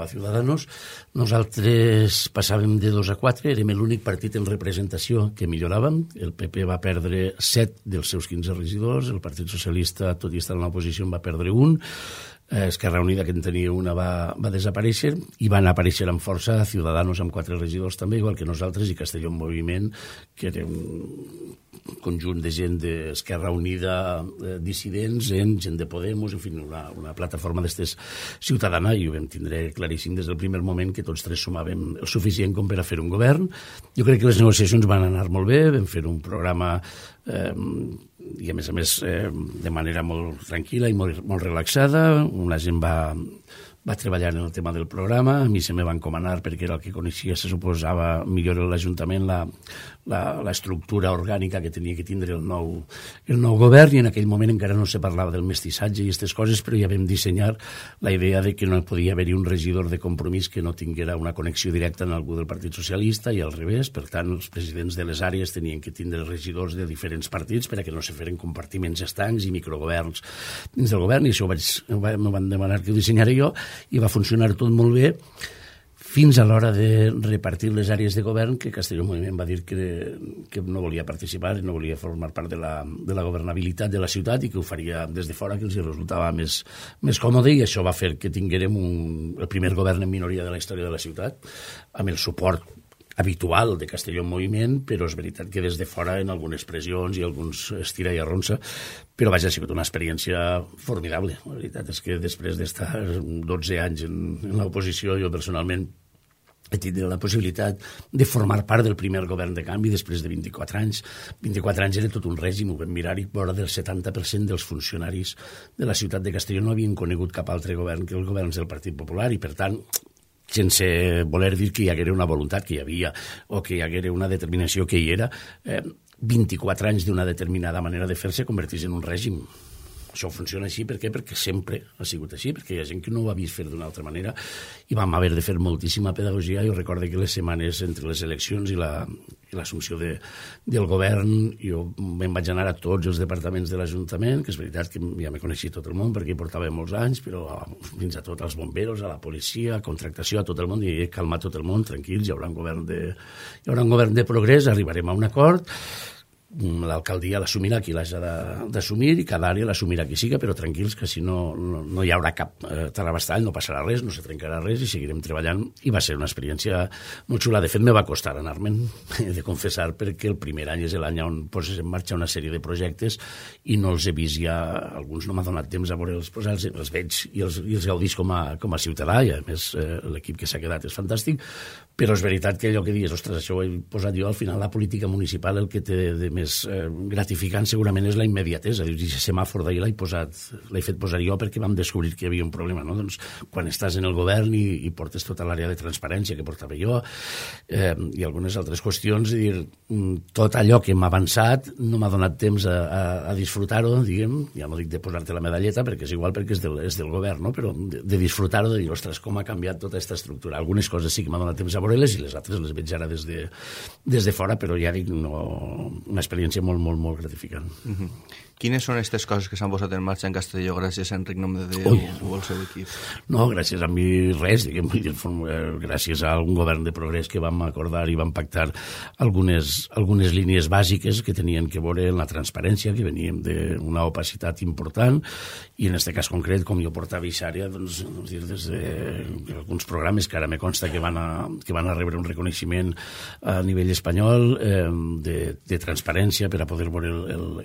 Ciudadanos. Nosaltres passàvem de 2 a 4, érem l'únic partit en representació que milloràvem. El PP va perdre 7 dels seus 15 regidors, el Partit Socialista, tot i estar en l'oposició, en va perdre 1, Esquerra Unida, que en tenia una, va desaparèixer, i van aparèixer amb força Ciudadanos amb 4 regidors també, igual que nosaltres, i Castelló en Moviment, que era un conjunt de gent d'Esquerra Unida, dissidents, gent de Podemos, en fi, una plataforma d'estes ciutadana, i ho vam tindre claríssim des del primer moment que tots 3 sumàvem el suficient com per a fer un govern. Jo crec que les negociacions van anar molt bé, vam fer un programa i a més de manera molt tranquil·la i molt relaxada. Una gent va treballar en el tema del programa, a mi se me va encomanar perquè era el que coneixia, se suposava millor l'Ajuntament, l'estructura orgànica que tenia que tindre el nou govern, i en aquell moment encara no se parlava del mestissatge i aquestes coses, però ja vam dissenyar la idea de que no podia haver-hi un regidor de Compromís que no tinguera una connexió directa amb algú del Partit Socialista i al revés. Per tant, els presidents de les àrees tenien que tindre regidors de diferents partits per a que no se feren compartiments estancs i microgoverns dins del govern, i això m'ho van demanar que ho dissenyara jo, i va funcionar tot molt bé fins a l'hora de repartir les àrees de govern, que Castelló en Moviment va dir que no volia participar, no volia formar part de la governabilitat de la ciutat i que ho faria des de fora, que els resultava més còmode, i això va fer que tinguérem el primer govern en minoria de la història de la ciutat, amb el suport habitual de Castelló en Moviment, però és veritat que des de fora en algunes pressions i alguns estira i arronsa, però vaja, ha sigut una experiència formidable. La veritat és que després d'estar 12 anys en l'oposició, jo personalment he tingut la possibilitat de formar part del primer govern de canvi després de 24 anys. 24 anys era tot un règim, ho vam mirar, i vora del 70% dels funcionaris de la ciutat de Castelló no havien conegut cap altre govern que els governs del Partit Popular, i per tant, sense voler dir que hi haguera una voluntat que hi havia o que hi haguera una determinació que hi era, 24 anys d'una determinada manera de fer-se converteix en un règim. Això funciona així, per què? Perquè sempre ha sigut així, perquè hi ha gent que no ho ha vist fer d'una altra manera, i vam haver de fer moltíssima pedagogia. Jo recordo que les setmanes entre les eleccions i l'assumpció del govern, jo me'n vaig anar a tots els departaments de l'Ajuntament, que és veritat que ja me coneixia tot el món perquè hi portava molts anys, però fins a tot als bomberos, a la policia, a contractació, a tot el món, i he calmat tot el món, tranquils, hi haurà un govern de progrés, arribarem a un acord, l'alcaldia l'assumirà qui l'hagi d'assumir i cada àrea l'assumirà qui siga, però tranquils que si no hi haurà cap tarabastall, no passarà res, no se trencarà res i seguirem treballant, i va ser una experiència molt xula. De fet, me va costar anar-me'n, he de confessar, perquè el primer any és l'any on poses en marxa una sèrie de projectes i no els he vist ja, alguns no m'ha donat temps a veure els veig i els gaudís com a ciutadà, i a més l'equip que s'ha quedat és fantàstic, però és veritat que allò que dius, ostres, això ho he posat jo, al final la política municipal el que té de més gratificant segurament és la immediatesa. Dius, aquest semàfor d'ahir l'he fet posar jo perquè vam descobrir que hi havia un problema, no? Doncs quan estàs en el govern i portes tota l'àrea de transparència que portava jo i algunes altres qüestions, i dir, tot allò que m'ha avançat no m'ha donat temps a disfrutar-ho, diguem, ja no dic de posar-te la medalleta perquè és igual, perquè és del govern, no? Però de disfrutar-ho, de dir, ostres, com ha canviat tota aquesta estructura. Algunes coses sí que m'ha donat temps a veure-les i les altres les veig ara des de fora, però ja dic, una experiència molt, molt, molt gratificant. Quines són aquestes coses que s'han posat en marxa en Castelló gràcies a Enric Nomdedeu o al seu equip? No, gràcies a mi res, diguem, gràcies a un govern de progrés que vam acordar i vam pactar algunes línies bàsiques que tenien que veure en la transparència, que veníem d'una opacitat important, i en aquest cas concret, com jo portava Ixària, doncs, des d'alguns programes que ara me consta que van a rebre un reconeixement a nivell espanyol de transparència, transparència per a poder veure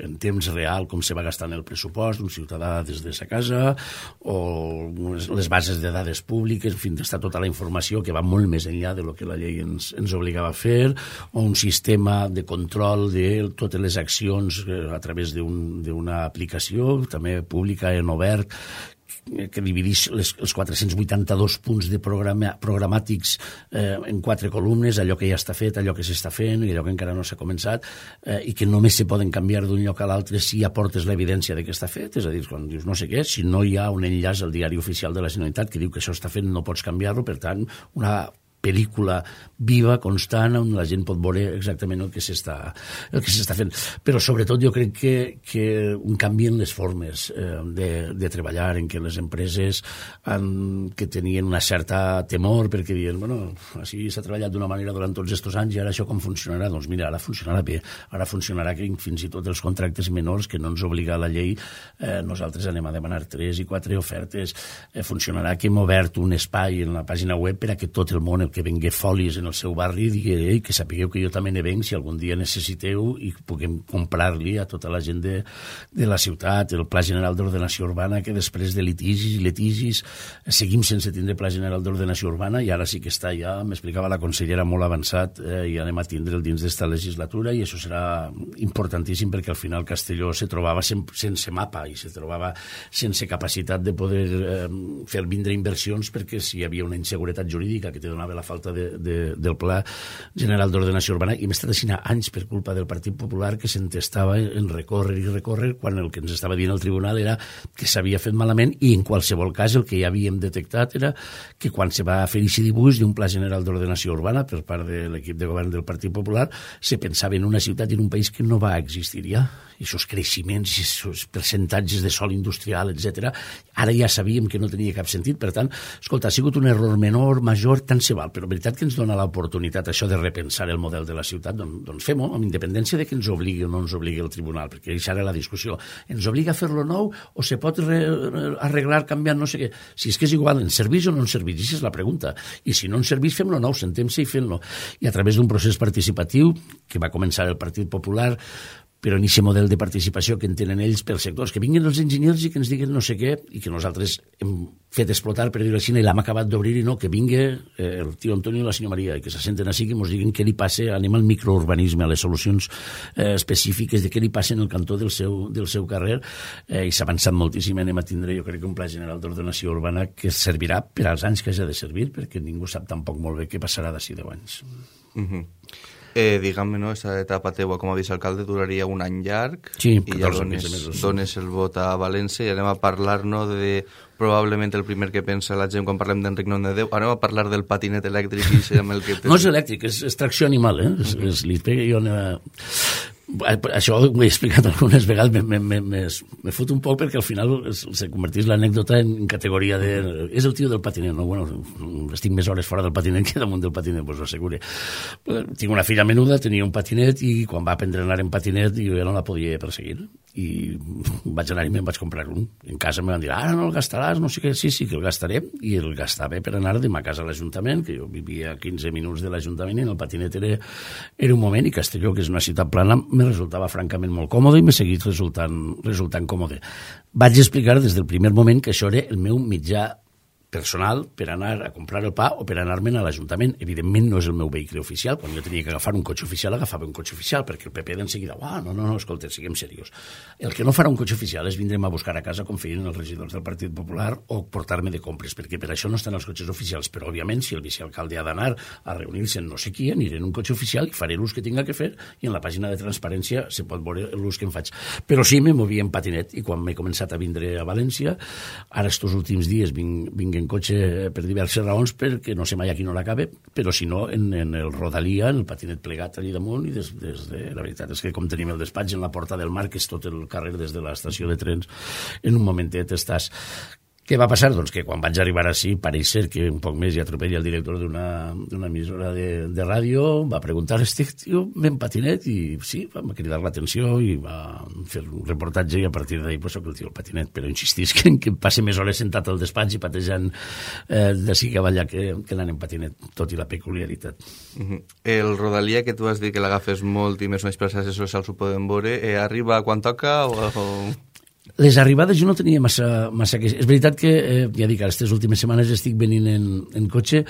en temps real com se va gastant el pressupost d'un ciutadà des de sa casa, o les bases de dades públiques, en fi, està tota la informació que va molt més enllà de lo que la llei ens obligava a fer, o un sistema de control de totes les accions a través d'una aplicació, també pública en obert, que divideix els 482 punts de programàtics en 4 columnes, allò que ja està fet, allò que s'està fent i allò que encara no s'ha començat, i que només se poden canviar d'un lloc a l'altre si aportes l'evidència de que està fet. És a dir, quan dius no sé què, si no hi ha un enllaç al diari oficial de la Generalitat que diu que això està fet, no pots canviar-lo. Per tant, una pel·lícula viva, constant, on la gent pot veure exactament el que s'està fent. Però sobretot jo crec que un canvi en les formes de treballar, en què les empreses que tenien una certa temor perquè diuen, bueno, així s'ha treballat d'una manera durant tots aquests anys i ara això com funcionarà? Doncs mira, ara funcionarà bé. Ara funcionarà que fins i tot els contractes menors que no ens obliga la llei, nosaltres anem a demanar 3 i 4 ofertes. Funcionarà que hem obert un espai en la pàgina web per a que tot el món, que vengui folis en el seu barri, digui que sapigueu que jo també ne venc si algun dia necessiteu i puguem comprar-li a tota la gent de la ciutat. El Pla General d'Ordenació Urbana, que després de litigis seguim sense tindre Pla General d'Ordenació Urbana, i ara sí que està ja, m'explicava la consellera, molt avançat, i anem a tindre'l dins d'esta legislatura, i això serà importantíssim perquè al final Castelló se trobava sense mapa i se trobava sense capacitat de poder fer vindre inversions, perquè si hi havia una inseguretat jurídica que te donava la falta del Pla General d'Ordenació Urbana, i hem estat així anys per culpa del Partit Popular, que s'entestava en recórrer, quan el que ens estava dient el tribunal era que s'havia fet malament, i en qualsevol cas el que ja havíem detectat era que quan se va fer aquest dibuix d'un Pla General d'Ordenació Urbana per part de l'equip de govern del Partit Popular, se pensava en una ciutat i en un país que no va existir ja. I aquests creixements, i aquests percentatges de sòl industrial, etc. Ara ja sabíem que no tenia cap sentit. Per tant, escolta, ha sigut un error menor, major, tant se val, però la veritat que ens dona l'oportunitat això de repensar el model de la ciutat, doncs fem-ho, amb independència de que ens obligui o no ens obligui el tribunal, perquè això era la discussió. Ens obliga a fer-lo nou o se pot arreglar canviant no sé què? Si és que és igual, ens serveix o no ens serveix? Aquesta és la pregunta. I si no ens serveix, fem-lo nou, sentem-se i fem-lo. I a través d'un procés participatiu que va començar el Partit Popular, però en aquest model de participació que en tenen ells pels sectors, que vinguin els enginyers i que ens diguen no sé què, i que nosaltres hem fet explotar, per dir-ho així, i l'hem acabat d'obrir, i no, que vingui el tio Antonio i la senyora Maria, i que se senten així, que ens diguin què li passa, anem al microurbanisme, a les solucions específiques de què li passa en el cantó del seu carrer, i s'ha avançat moltíssim. Anem a tindre, jo crec, un Pla General d'Ordenació Urbana que servirà per als anys que hagi de servir, perquè ningú sap tampoc molt bé què passarà d'ací 10 anys. Diguem-me, no, aquesta etapa teua com a vicealcalde duraria un any llarg, sí, i ja dones el vot a València, i anem a parlar, no, de probablement el primer que pensa la gent quan parlem d'Enric Nomdedeu. Anem a parlar del patinet elèctric i amb el que... No és elèctric, és tracció animal, li pega jo... Això ho he explicat algunes vegades, me fot un poc perquè al final se converteix l'anècdota en categoria de... És el tio del patinet, no? Bueno, estic més hores fora del patinet que damunt del patinet, pues ho assegure. Tinc una filla menuda, tenia un patinet, i quan va aprendre a anar en patinet jo ja no la podia perseguir. I vaig anar i me'n vaig comprar un. En casa me van dir, ara no el gastaràs, no sé què. Sí, que el gastaré, i el gastava per anar de ma casa a l'Ajuntament, que jo vivia a 15 minuts de l'Ajuntament, i en el patinet era un moment, i Castelló, que és una ciutat plana, me resultava francament molt còmode i m'ha seguit resultant còmode. Vaig explicar des del primer moment que això era el meu mitjà personal per anar a comprar el pa o per anar-me'n a l'Ajuntament. Evidentment no és el meu vehicle oficial. Quan jo tenia que agafar un cotxe oficial, agafava un cotxe oficial, perquè el PP d'enseguida, no, escolta, siguem serios. El que no farà un cotxe oficial és vindre'm a buscar a casa com feien els regidors del Partit Popular o portar-me de compres, perquè per això no estan els cotxes oficials. Però, òbviament, si el vicealcalde ha d'anar a reunir-se en no sé qui, aniré en un cotxe oficial i faré l'ús que tinga que fer, i en la pàgina de transparència se pot veure l'ús que em faig. Però sí, me movia en patinet, i quan m'he començat a vindre a València, ara estos últims dies vinc en cotxe per diverses raons, perquè no sé mai a qui no l'acabe, però si no, en el Rodalia, en el patinet plegat allà damunt, i la veritat és que com tenim el despatx en la Porta del Mar, que és tot el carrer des de l'estació de trens, en un momentet estàs. Què va passar? Doncs que quan vaig arribar així, pareix ser que un poc més hi atropella el director d'una emissora de ràdio, va preguntar, estic, tio, ben patinet, i sí, va cridar l'atenció i va fer un reportatge i a partir d'ahir pues, soc el tio el patinet, però insistís que passe més hores sentat al despatx i patejant d'ací cap allà que anant en patinet, tot i la peculiaritat. El Rodalia, que tu has dit que l'agafes molt i més o menys per les xarxes socials ho podem veure, arriba quan toca o... Les arribades jo no tenia massa queixes. És veritat que, ja dic, aquestes últimes setmanes estic venint en cotxe,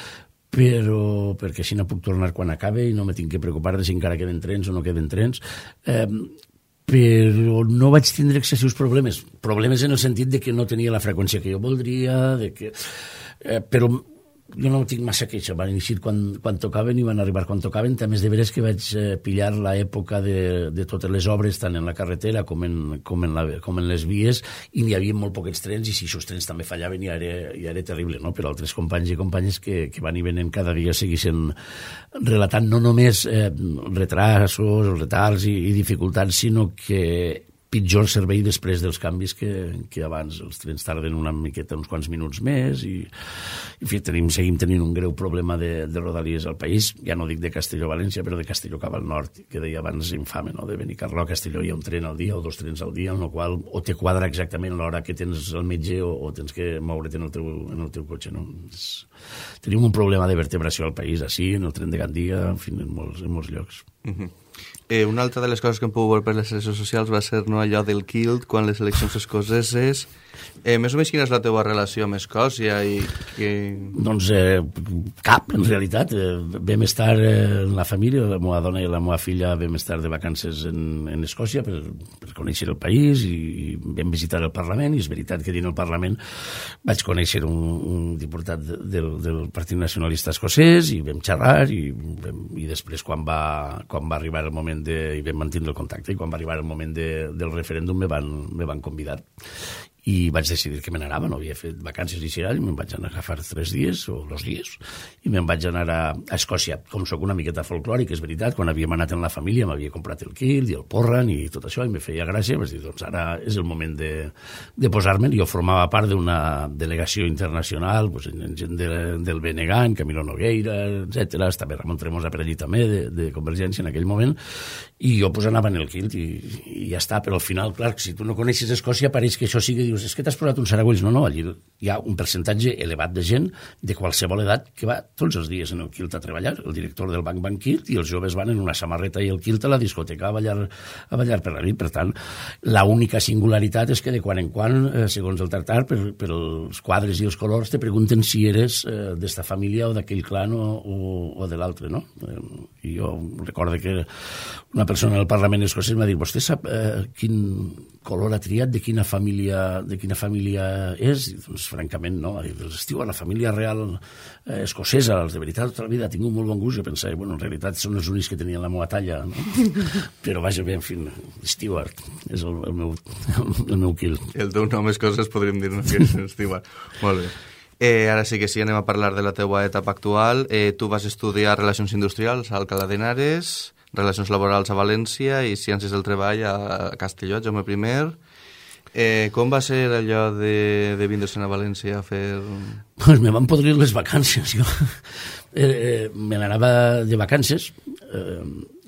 però perquè així no puc tornar quan acabe i no me tinc que preocupar de si encara queden trens o no queden trens. Però no vaig tindre excessius problemes. Problemes en el sentit de que no tenia la freqüència que jo voldria, però jo no tinc massa queixa, van iniciar quan tocaven i van arribar quan tocaven. També és de veres que vaig pillar l'època de totes les obres, tant en la carretera com en les vies, i n'hi havia molt poquets trens, i si aquests trens també fallaven ja era terrible, no? Però altres companys i companyes que van i venen cada dia seguissin relatant no només retrasos, retards i dificultats, sinó que pitjor servei després dels canvis que abans. Els trens tarden una miqueta, uns quants minuts més, i en fi, seguim tenint un greu problema de rodalies al país. Ja no dic de Castelló a València, però de Castelló cap al nord, que deia abans infame, no? De Benicarló a Castelló hi ha un tren al dia o 2 trens al dia, en el qual o te quadra exactament l'hora que tens al metge o tens que moure't en el teu cotxe, no? Tenim un problema de vertebració al país, així, en el tren de Gandia, en fi, en molts llocs. Una altra de les coses que hem pogut veure per les xarxes socials va ser allò del Kilt, quan les eleccions escoceses. Més o menys quina és la teva relació amb Escòcia? Doncs cap, en realitat. Vam estar la família, la meva dona i la meva filla vam estar de vacances en Escòcia per conèixer el país, i vam visitar el Parlament, i és veritat que dins el Parlament vaig conèixer un diputat del Partit Nacionalista Escocès, i vam xerrar, i després quan va arribar el moment i vam mantenir el contacte, i quan va arribar el moment del referèndum me van convidar, i vaig decidir que me n'anava. No havia fet vacances i xerall, me'n vaig anar a agafar 3 dies o 2 dies, i me'n vaig anar a Escòcia. Com soc una miqueta folclòric, és veritat, quan havíem anat en la família m'havia comprat el kilt i el porran i tot això, i me feia gràcia. Vaig dir, doncs ara és el moment de posar-me'n. Jo formava part d'una delegació internacional, pues, en gent del BNG, en Camilo Nogueira, etc. Estava Ramon Tremosa per allí també, de Convergència en aquell moment, i jo pues, anava en el kilt i ja està. Però al final, clar, si tu no coneixes Escòcia, pareix que això sigui, dius, és que t'has posat uns saragüells. No, allí hi ha un percentatge elevat de gent de qualsevol edat que va tots els dies en el kilt a treballar. El director del banc kilt, i els joves van en una samarreta i el kilt a la discoteca a ballar per la nit. Per tant, l'única singularitat és que de quan en quan, segons el tractar, per els quadres i els colors, te pregunten si eres d'esta família o d'aquell clan o de l'altre, no? I jo recordo que una persona del Parlament escocès m'ha dit, vostè sap quin color ha triat, de quina família és? I, doncs, francament, no. Estiu a la família real escocesa, els de veritat, tota la vida ha tingut molt bon gust. Jo pensava, bueno, en realitat són els únics que tenien la meva talla, no? Però vaja bé, en fi, Stewart és el meu kilt. El teu nom és coses, podríem dir, no? Que és Stewart. Molt bé. Ara sí que sí, anem a parlar de la teua etapa actual. Tu vas estudiar Relacions Industrials a Alcalá de Henares, Relacions Laborals a València i Ciències del Treball a Castelló, Jaume I. Com va ser allò de vindre-se'n a València a fer... Pues me van podrir les vacances. Jo me n'anava de vacances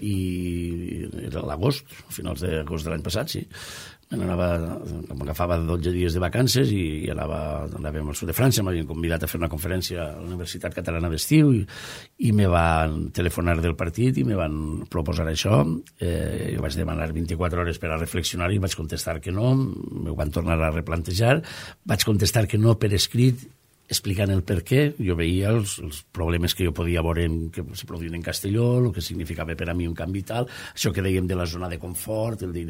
i era l'agost, a finals d'agost de l'any passat, sí. M'agafava 12 dies de vacances i anàvem al sud de França. M'havien convidat a fer una conferència a la Universitat Catalana d'Estiu i me van telefonar del partit i me van proposar això. Jo vaig demanar 24 hores per a reflexionar i vaig contestar que no. Me ho van tornar a replantejar. Vaig contestar que no per escrit, explicant el per què. Jo veia els problemes que jo podia veure que se produïen en Castelló, el que significava per a mi un canvi tal, això que dèiem de la zona de confort, el dir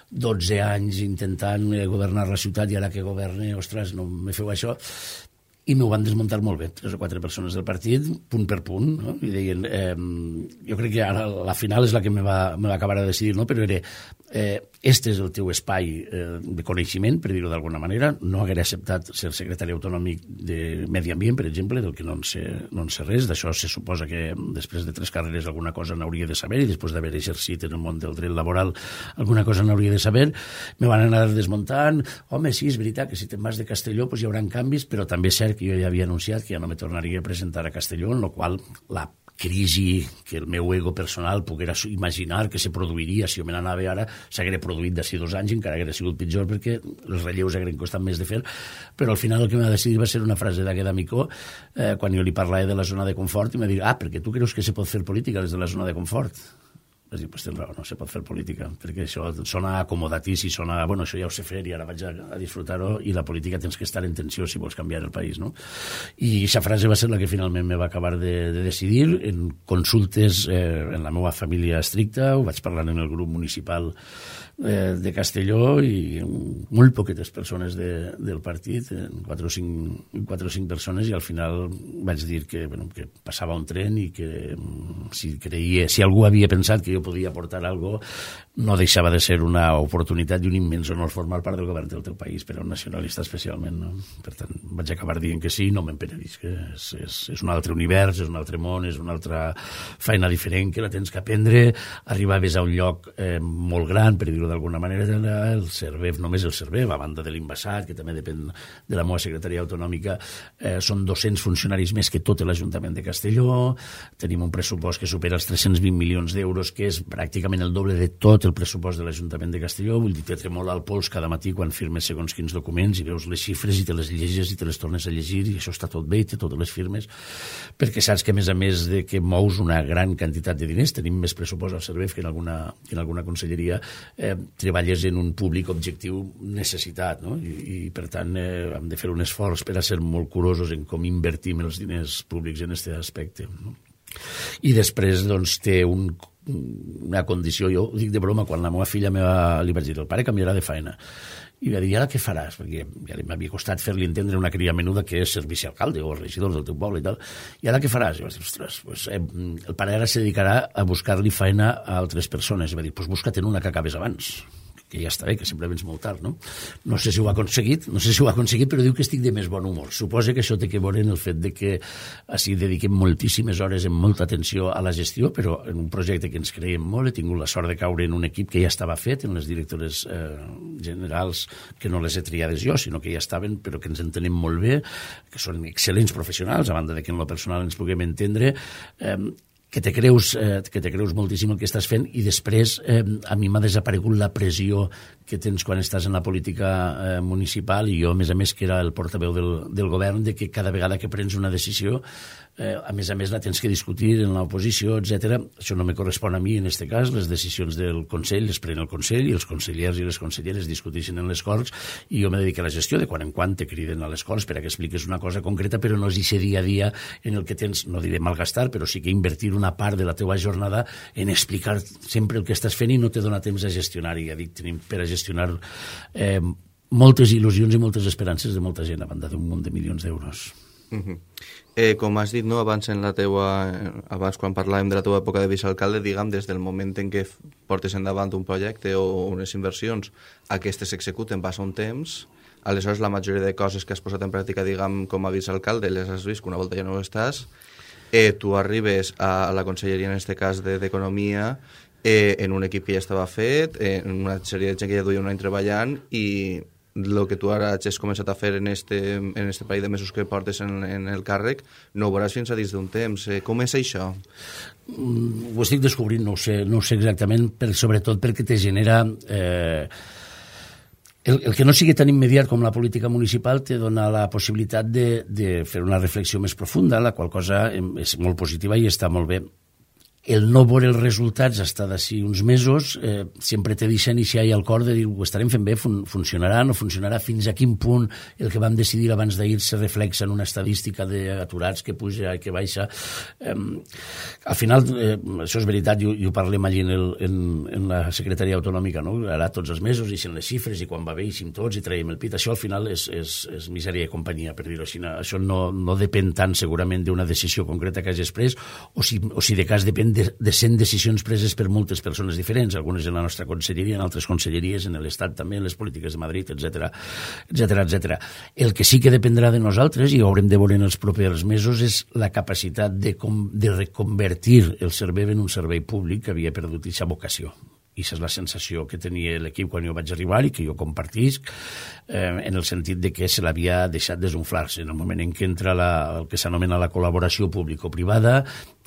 12 anys intentant governar la ciutat i ara que governe, ostres, no me feu això. i m'ho van desmuntar molt bé, 3 o 4 persones del partit, punt per punt, no? I deien, jo crec que ara la final és la que me va acabar de decidir, no? Però era, este és el teu espai de coneixement, per dir-ho d'alguna manera, no haguera acceptat ser secretari autonòmic de Medi Ambient, per exemple, del que no en sé res, d'això se suposa que després de 3 carreres alguna cosa n'hauria de saber, i després d'haver exercit en el món del dret laboral alguna cosa n'hauria de saber, me van anar desmuntant, home, sí, és veritat que si te'n vas de Castelló pues hi haurà canvis, però també és cert que jo ja havia anunciat que ja no me tornaria a presentar a Castelló, en la qual la crisi que el meu ego personal poguera imaginar que se produiria si jo me n'anava ara s'haguera produït d'ací 2 anys, encara haguera sigut pitjor perquè els relleus hagueren costat més de fer, però al final el que m'ha decidit va ser una frase d'aquest amicó quan jo li parlava de la zona de confort i m'ha dit, perquè tu creus que se pot fer política des de la zona de confort? Vaig dir, pues tens raó, no se pot fer política, perquè això sona acomodatici, sona, bueno, això ja ho sé fer i ara vaig a disfrutar-ho, i la política tens que estar en tensió si vols canviar el país, no? I aquesta frase va ser la que finalment me va acabar de decidir, en consultes en la meva família estricta, ho vaig parlar en el grup municipal de Castelló i molt poquetes persones del partit, 4 o 5 persones, i al final vaig dir que passava un tren i que si algú havia pensat que jo podia aportar alguna cosa, no deixava de ser una oportunitat i un immens honor formar part del govern del teu país, per a un nacionalista especialment, no? Per tant, vaig acabar dient que sí, no me'n penedisc, que és un altre univers, és un altre món, és una altra feina diferent que la tens que aprendre, arribaves a un lloc molt gran, per dir-ho d'alguna manera, el CERVEF, només el CERVEF, a banda de l'Invasat, que també depèn de la meva secretaria autonòmica, són 200 funcionaris més que tot l'Ajuntament de Castelló, tenim un pressupost que supera els 320 milions d'euros, que és pràcticament el doble de tot el pressupost de l'Ajuntament de Castelló, vull dir, te tremola el pols cada matí quan firmes segons quins documents i veus les xifres i te les llegeixes i te les tornes a llegir i això està tot bé i té totes les firmes, perquè saps que a més de que mous una gran quantitat de diners, tenim més pressupost al CERVEF que en alguna conselleria, treballes en un públic objectiu necessitat, no? I per tant hem de fer un esforç per a ser molt curosos en com invertim els diners públics en aquest aspecte, no? I després doncs té una condició, jo ho dic de broma, quan la meva filla li vaig dir, el pare canviarà de feina, i va dir, i ara què faràs? Perquè ja m'havia costat fer-li entendre una cria menuda que és ser vicealcalde o regidor del teu poble i tal, i ara què faràs? I vaig dir, ostres, pues, el pare ara se dedicarà a buscar-li feina a altres persones, i va dir, pues busca't una que acabes abans, que ja està bé, que sempre vens molt tard, no? No sé si ho ha aconseguit, però diu que estic de més bon humor. Suposa que això té que veure en el fet de que així dediquem moltíssimes hores amb molta atenció a la gestió, però en un projecte que ens creiem molt, he tingut la sort de caure en un equip que ja estava fet, en les directores generals, que no les he triades jo, sinó que ja estaven, però que ens entenem molt bé, que són excel·lents professionals, a banda de que en lo personal ens puguem entendre, que te creus moltíssim el que estàs fent, i després a mi m'ha desaparegut la pressió que tens quan estàs en la política municipal, i jo, a més, que era el portaveu del govern, de que cada vegada que prens una decisió, a més la tens que discutir en l'oposició, etc. Això no me correspon a mi en aquest cas, les decisions del Consell les pren el Consell i els consellers i les conselleres discuteixen en les Corts, i jo me dedico a la gestió, de quan en quan te criden a les Corts per a que expliques una cosa concreta, però no és aquest dia a dia en el que tens, no diré malgastar, però sí que invertir una part de la teva jornada en explicar sempre el que estàs fent i no te dona temps a gestionar, i ja dic, tenim per a gestionar moltes il·lusions i moltes esperances de molta gent a banda d'un munt de milions d'euros. Com has dit, no, abans quan parlàvem de la teva època de vicealcalde, diguem, des del moment en què portes endavant un projecte o unes inversions, aquestes s'executen, passa un temps, aleshores la majoria de coses que has posat en pràctica, diguem, com a vicealcalde, les has vist que una volta ja no estàs, tu arribes a la conselleria, en aquest cas d'Economia, en un equip que ja estava fet, en una sèrie de gent que ja duia un any treballant, i el que tu ara has començat a fer en este parell de mesos que portes en el càrrec, no ho veuràs fins a dins d'un temps. Com és això? Ho estic descobrint, no ho sé exactament, sobretot perquè te genera... El que no sigui tan immediat com la política municipal te dona la possibilitat de fer una reflexió més profunda, la qual cosa és molt positiva i està molt bé. el no veure els resultats hasta d'ací uns mesos sempre te deixen ixa i al cor de dir ho estarem fent bé, funcionarà, no funcionarà, fins a quin punt el que vam decidir abans d'ahir se reflexa en una estadística d'aturats que puja i que baixa. Al final, això és veritat, i ho parlem allí en la secretaria autonòmica, no? Ara tots els mesos ixen les xifres i quan va bé ixim tots i traiem el pit. Això al final és misèria i companyia, per dir-ho així. Això no depèn tant segurament d'una decisió concreta que hagis pres o si de cas depèn de 100 decisions preses per moltes persones diferents, algunes en la nostra conselleria, en altres conselleries, en l'Estat també, en les polítiques de Madrid, etc. El que sí que dependrà de nosaltres, i ho haurem de veure en els propers mesos, és la capacitat de reconvertir el servei en un servei públic que havia perdut aquesta vocació. I aquesta és la sensació que tenia l'equip quan jo vaig arribar i que jo compartisc, en el sentit de que se l'havia deixat desunflar-se. En el moment en què entra el que s'anomena la col·laboració público-privada,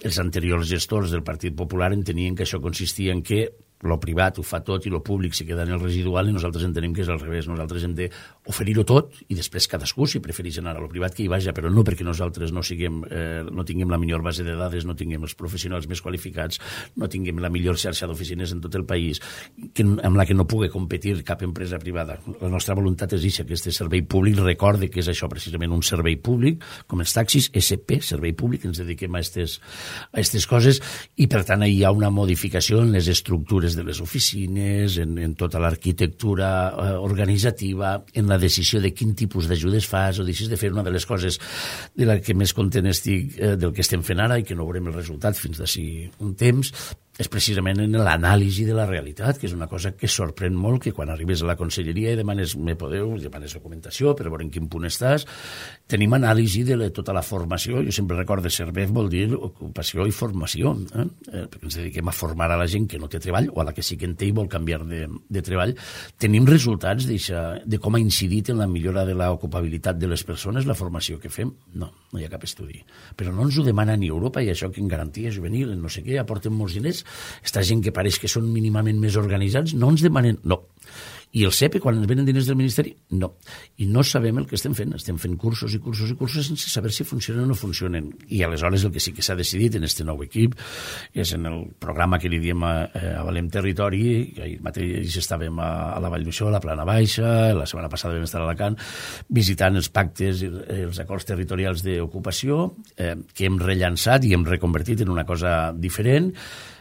els anteriors gestors del Partit Popular entenien que això consistia en que lo privat ho fa tot i lo públic se queda en el residual, i nosaltres entenem que és al revés. Nosaltres hem d'oferir-ho tot i després cadascú, si prefereix anar a lo privat, que hi vaja, però no perquè nosaltres no tinguem la millor base de dades, no tinguem els professionals més qualificats, no tinguem la millor xarxa d'oficines en tot el país, amb la que no pugui competir cap empresa privada. La nostra voluntat és que aquest servei públic recorde que és això, precisament un servei públic, com els taxis, SP, servei públic, ens dediquem a aquestes coses, i per tant hi ha una modificació en les estructures de les oficines, en tota l'arquitectura organitzativa, en la decisió de quin tipus d'ajudes fas o deixes de fer. Una de les coses de la que més content estic del que estem fent ara i que no veurem el resultat fins d'ací un temps és precisament en l'anàlisi de la realitat, que és una cosa que sorprèn molt, que quan arribes a la conselleria i demanes documentació per veure en quin punt estàs, tenim anàlisi de tota la formació. Jo sempre recordo SERVEF vol dir ocupació i formació, perquè ens dediquem a formar a la gent que no té treball o a la que sí que en té i vol canviar de treball. Tenim resultats de com ha incidit en la millora de l'ocupabilitat de les persones la formació que fem? No hi ha cap estudi. Però no ens ho demana ni Europa, i això que en garantia juvenil, en no sé què, aporten molts diners. Esta gent que pareix que són mínimament més organitzats no ens demanen, no. I el CEPE, quan ens venen diners del Ministeri, no. I no sabem el que estem fent. Estem fent cursos i cursos i cursos sense saber si funcionen o no funcionen. I aleshores el que sí que s'ha decidit en este nou equip és en el programa que li diem a Valem Territori, que ahir mateix estàvem a la Vall d'Uixó, a la Plana Baixa, la setmana passada vam estar a Alacant, visitant els pactes i els acords territorials d'ocupació que hem rellançat i hem reconvertit en una cosa diferent,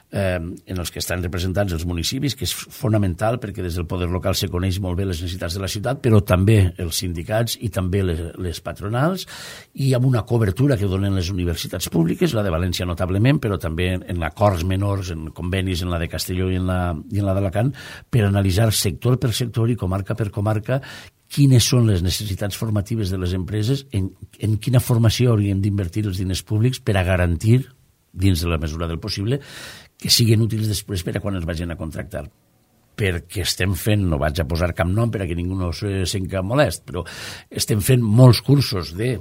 en els que estan representats els municipis, que és fonamental perquè des del poder local se coneix molt bé les necessitats de la ciutat, però també els sindicats i també les patronals, i amb una cobertura que donen les universitats públiques, la de València notablement, però també en acords menors, en convenis en la de Castelló i en la d'Alacant, per analitzar sector per sector i comarca per comarca quines són les necessitats formatives de les empreses, en quina formació hauríem d'invertir els diners públics per a garantir, dins de la mesura del possible, que siguin útils després per a quan els vagin a contractar. Perquè estem fent, no vaig a posar cap nom per a que ningú no se senti molest, però estem fent molts cursos de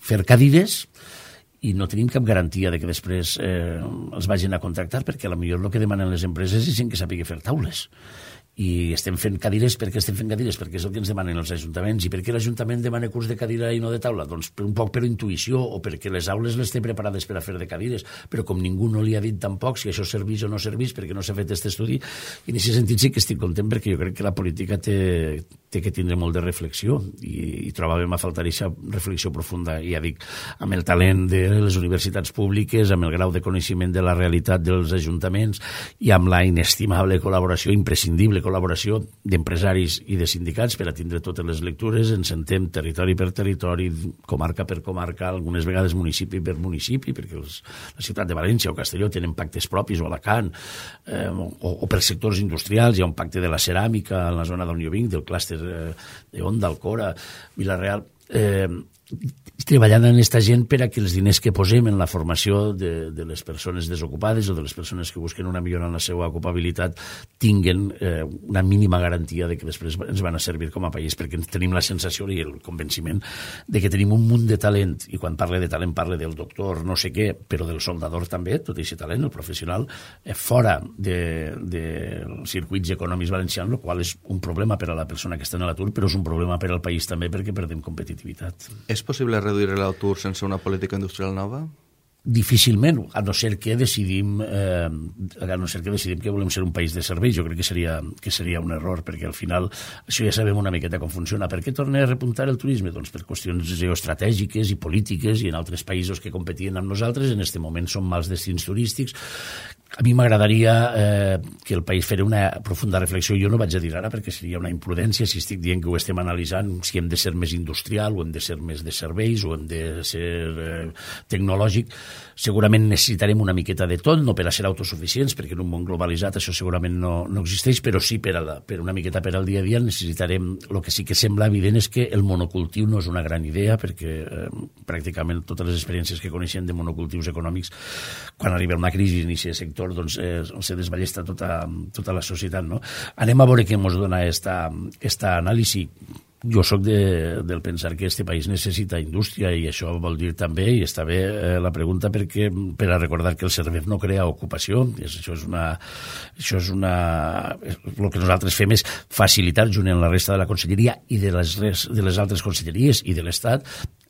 fer cadires i no tenim cap garantia de que després els vagin a contractar, perquè potser el que demanen les empreses és gent que sàpiga fer taules. I estem fent cadires perquè estem fent cadires, perquè és el que ens demanen els ajuntaments. I per què l'Ajuntament demana curs de cadira i no de taula? Doncs un poc per intuïció, o perquè les aules les té preparades per a fer de cadires, però com ningú no li ha dit tampoc si això serveix o no serveix, perquè no s'ha fet aquest estudi, i en aquest sentit sí que estic content, perquè jo crec que la política té que tindre molt de reflexió, i trobàvem a faltar aquesta reflexió profunda, i ja dic, amb el talent de les universitats públiques, amb el grau de coneixement de la realitat dels ajuntaments, i amb la inestimable col·laboració, imprescindible col·laboració d'empresaris i de sindicats per a tindre totes les lectures. Ens sentem territori per territori, comarca per comarca, algunes vegades municipi per municipi, perquè la ciutat de València o Castelló tenen pactes propis, o Alacant, o per sectors industrials. Hi ha un pacte de la ceràmica en la zona d'on jo vinc, del clúster d'Onda, Alcora, Vila-real, treballant en aquesta gent per a que els diners que posem en la formació de les persones desocupades o de les persones que busquen una millora en la seva ocupabilitat tinguen una mínima garantia de que després ens van a servir com a país, perquè tenim la sensació i el convenciment de que tenim un munt de talent, i quan parle de talent parle del doctor no sé què, però del soldador també, tot aquest talent, el professional, fora dels circuits econòmics valencians, el qual és un problema per a la persona que està en l'atur, però és un problema per al país també perquè perdem competitivitat. És possible reduir l'atur sense una política industrial nova? difícilment, a no ser que decidim que volem ser un país de serveis. Jo crec que seria un error, perquè al final això ja sabem una miqueta com funciona. Per què torna a repuntar el turisme? Doncs per qüestions geoestratègiques i polítiques, i en altres països que competien amb nosaltres en aquest moment són mals destins turístics. A mi m'agradaria que el país fes una profunda reflexió. Jo no vaig a dir ara perquè seria una imprudència si estic dient que ho estem analitzant, si hem de ser més industrial o hem de ser més de serveis o hem de ser tecnològic. Segurament necessitarem una miqueta de tot, no per a ser autosuficients, perquè en un món globalitzat això segurament no existeix, però sí per una miqueta per al dia a dia necessitarem. El que sí que sembla evident és que el monocultiu no és una gran idea, perquè pràcticament totes les experiències que coneixem de monocultius econòmics, quan arriba una crisi en aquest sector, doncs se desballesta tota la societat, no? Anem a veure què ens dona esta anàlisi. Jo sóc del pensar que este país necessita indústria, i això vol dir també, i està bé la pregunta, perquè per a recordar que el CERVEF no crea ocupació. Això és el que nosaltres fem és facilitar, junt amb la resta de la conselleria i de les altres conselleries i de l'Estat,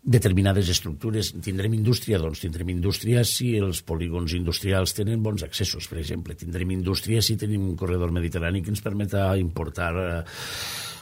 determinades estructures. Tindrem indústria? Doncs tindrem indústria si els polígons industrials tenen bons accessos, per exemple. Tindrem indústria si tenim un corredor mediterrani que ens permeta importar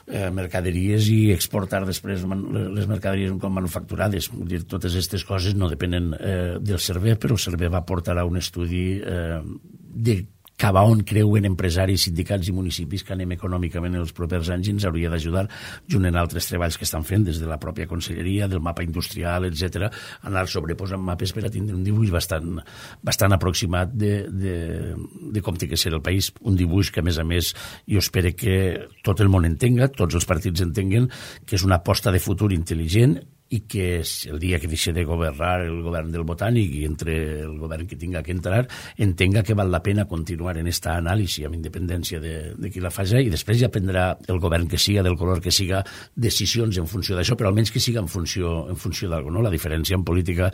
mercaderies i exportar després les mercaderies com manufacturades. Vull dir, totes aquestes coses no depenen del CERVEF, però el CERVEF aportarà un estudi de cap a on creuen empresaris, sindicats i municipis que anem econòmicament en els propers anys, i ens hauria d'ajudar, junt en altres treballs que estan fent des de la pròpia conselleria, del mapa industrial, etc., anar sobreposant mapes per a tindre un dibuix bastant aproximat de com té que ser el país. Un dibuix que, a més, jo espero que tot el món entenga, tots els partits entenguen que és una aposta de futur intel·ligent, i que el dia que deixi de governar el govern del Botànic i entre el govern que tinga que entrar, entenga que val la pena continuar en esta anàlisi amb independència de qui la faci, i després ja prendrà el govern que siga, del color que siga, decisions en funció d'això, però almenys que siga en funció d'algú, no? La diferència en política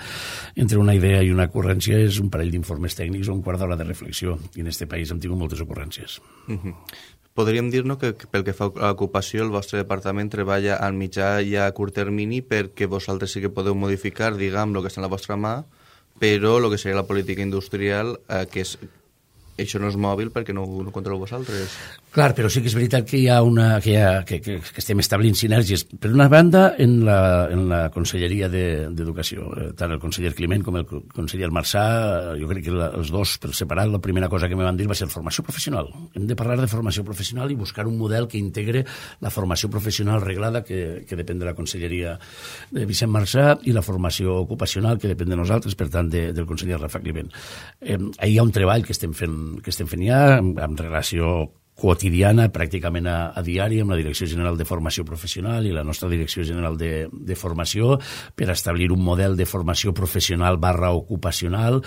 entre una idea i una ocurrència és un parell d'informes tècnics o un quart d'hora de reflexió, i en aquest país hem tingut moltes ocurrències. Podríem dir-nos que pel que fa a l'ocupació el vostre departament treballa al mitjà i a curt termini, perquè vosaltres sí que podeu modificar, diguem, el que està en la vostra mà, però el que seria la política industrial, que això no és mòbil perquè no ho controleu vosaltres. Clar, però sí que és veritat que que estem establint sinergies. Per una banda, en la Conselleria d'Educació, tant el conseller Climent com el conseller Marçà, jo crec que els dos per separat, la primera cosa que me van dir va ser formació professional. Hem de parlar de formació professional i buscar un model que integre la formació professional reglada, que depèn de la Conselleria de Vicent Marçà, i la formació ocupacional, que depèn de nosaltres, per tant, del conseller Rafa Climent. Ahir hi ha un treball que estem fent ja, en relació quotidiana, pràcticament a diari, amb la Direcció General de Formació Professional i la nostra Direcció General de Formació, per establir un model de formació professional / ocupacional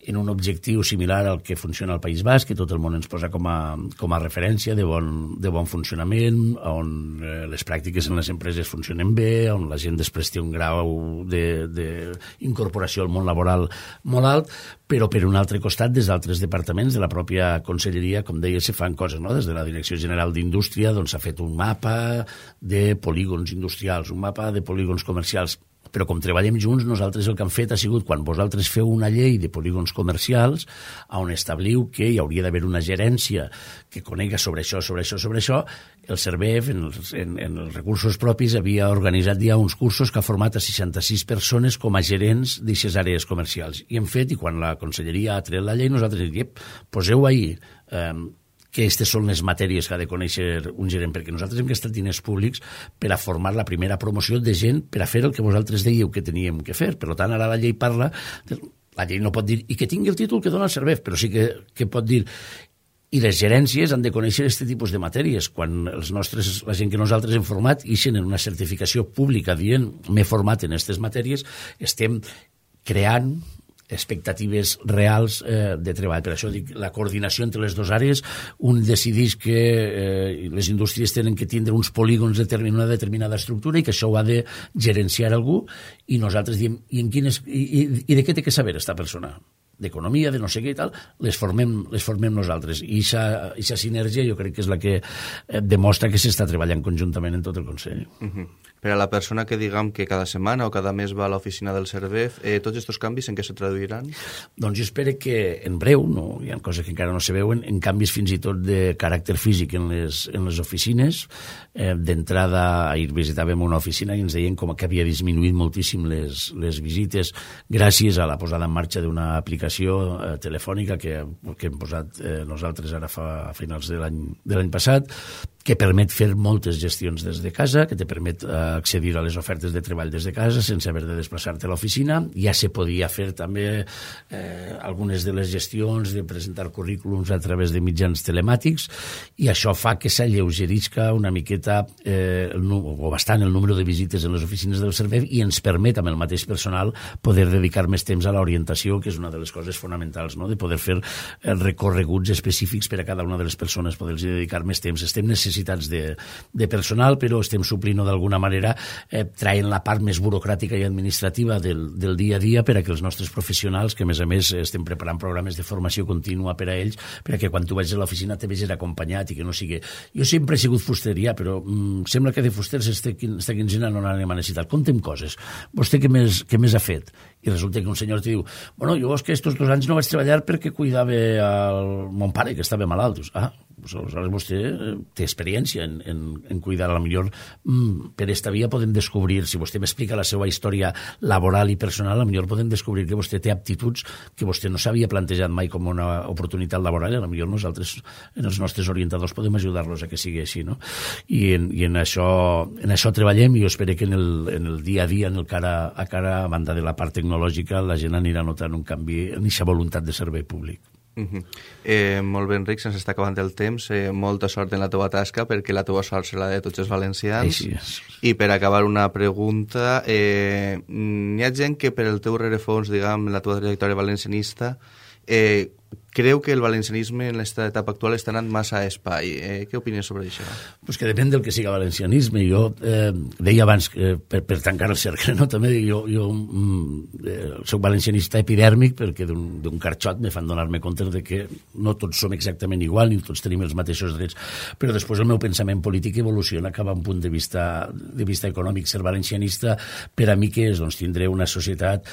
en un objectiu similar al que funciona al País Basc, que tot el món ens posa com a referència de bon funcionament, on les pràctiques en les empreses funcionen bé, on la gent després té un grau d'incorporació al món laboral molt alt, però per un altre costat, des d'altres departaments de la pròpia conselleria, com deia, se fan coses, no? Des de la Direcció General d'Indústria s'ha fet un mapa de polígons industrials, un mapa de polígons comercials, però com treballem junts, nosaltres el que hem fet ha sigut, quan vosaltres feu una llei de polígons comercials, on establiu que hi hauria d'haver una gerència que conega sobre això, el CERVEF, en els recursos propis, havia organitzat ja uns cursos que ha format a 66 persones com a gerents d'aquestes àrees comercials. I hem fet, i quan la conselleria ha tret la llei, nosaltres diem, poseu ahir que aquestes són les matèries que ha de conèixer un gerent, perquè nosaltres hem gastat diners públics per a formar la primera promoció de gent per a fer el que vosaltres dèieu que teníem que fer. Per tant, ara la llei parla, la llei no pot dir, i que tingui el títol que dona el CERVEF, però sí que pot dir, i les gerències han de conèixer aquest tipus de matèries. Quan la gent que nosaltres hem format ixen en una certificació pública dient m'he format en aquestes matèries, estem creant expectatives reals de treball. Per això dic, la coordinació entre les dues àrees, un decideix que les indústries tenen que tindre uns polígons de una determinada estructura i que això ho ha de gerenciar algú, i nosaltres diem, i de què té que saber aquesta persona? d'economia, de no sé què i tal, les formem nosaltres. I aquesta sinergia jo crec que és la que demostra que s'està treballant conjuntament en tot el Consell. Per a la persona que diguem que cada setmana o cada mes va a l'oficina del Servef, tots aquests canvis en què se traduiran? Doncs jo espero que en breu, hi ha coses que encara no se veuen, en canvis fins i tot de caràcter físic en les oficines. D'entrada, ahir visitàvem una oficina i ens deien com que havia disminuït moltíssim les visites gràcies a la posada en marxa d'una aplicació telefònica que hem posat nosaltres ara a finals de l'any passat, que permet fer moltes gestions des de casa, que te permet accedir a les ofertes de treball des de casa sense haver de desplaçar-te a l'oficina. Ja se podia fer també algunes de les gestions de presentar currículums a través de mitjans telemàtics, i això fa que s'alleugerisca una miqueta o bastant el número de visites en les oficines del Servei, i ens permet amb el mateix personal poder dedicar més temps a l'orientació, que és una de les coses fonamentals, no? De poder fer recorreguts específics per a cada una de les persones, poder-los dedicar més temps. Estem necessitats de personal, però estem suplint d'alguna manera, traient la part més burocràtica i administrativa del dia a dia per a que els nostres professionals, que a més estem preparant programes de formació contínua per a ells, per a que quan tu vagis a l'oficina te vegis acompanyat i que no sigui... Jo sempre he sigut fusteria, però sembla que de fusters esta quinzena no n'anem a necessitar. Conta'm coses. Vostè què més ha fet? I resulta que un senyor te diu, bueno, jo és que estos 2 anys no vaig treballar perquè cuidava el mon pare, que estava malalt. Dius, aleshores vostè té experiència en cuidar. A la millor per esta via podem descobrir, si vostè m'explica la seva història laboral i personal, a la millor podem descobrir que vostè té aptituds que vostè no s'havia plantejat mai com una oportunitat laboral, i a la millor nosaltres, en els nostres orientadors, podem ajudar-los a que sigui així, no? I en això treballem, i jo espero que en el dia a dia, a cara a banda de la part tecnològica, la gent anirà notant un canvi en aquesta voluntat de servei públic. Molt bé, Enric, se'ns està acabant el temps. Molta sort en la teva tasca, perquè la teva sort serà de tots els valencians. I per acabar, una pregunta. Hi ha gent que per el teu rerefons, diguem, la teva trajectòria valencianista, creu que el valencianisme en l'esta etapa actual està anant massa a espai. Què opines sobre això? Pues que depèn del que siga valencianisme. Jo deia abans, per tancar el cercle, no? També jo soc valencianista epidèrmic, perquè d'un carxot me fan donar-me compte de que no tots som exactament igual, ni tots tenim els mateixos drets, però després el meu pensament polític evoluciona cap a un punt de vista econòmic. Ser valencianista per a mi què és? Doncs tindré una societat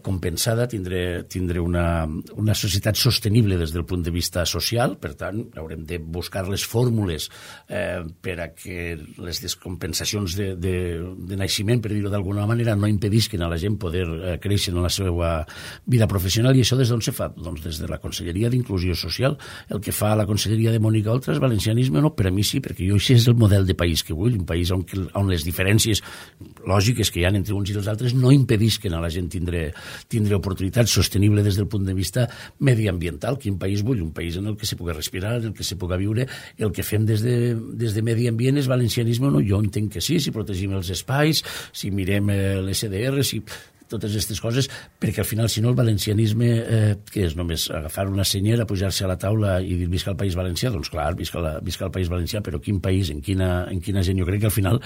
compensada, tindré una societat sostenible des del punt de vista social. Per tant, haurem de buscar les fórmules per a que les descompensacions de naixement, per dir-ho d'alguna manera, no impedisquen a la gent poder créixer en la seva vida professional. I això des d'on se fa? Doncs des de la Conselleria d'Inclusió Social. El que fa la Conselleria de Mònica Oltra és valencianisme? No, per a mi sí, perquè jo això és el model de país que vull, un país on les diferències lògiques que hi ha entre uns i els altres no impedisquen a la gent tindre oportunitats sostenibles des del punt de vista mediambiental. Quin país vull? Un país en el que se pugui respirar, en el que se pugui viure. El que fem des de medi ambient és valencianisme o no? Jo entenc que sí, si protegim els espais, si mirem l'SDR, si totes aquestes coses, perquè al final, si no, el valencianisme, que és només agafar una senyera, pujar-se a la taula i dir visca el País Valencià, doncs clar, visca el País Valencià, però quin país, en quina gent? Jo crec que al final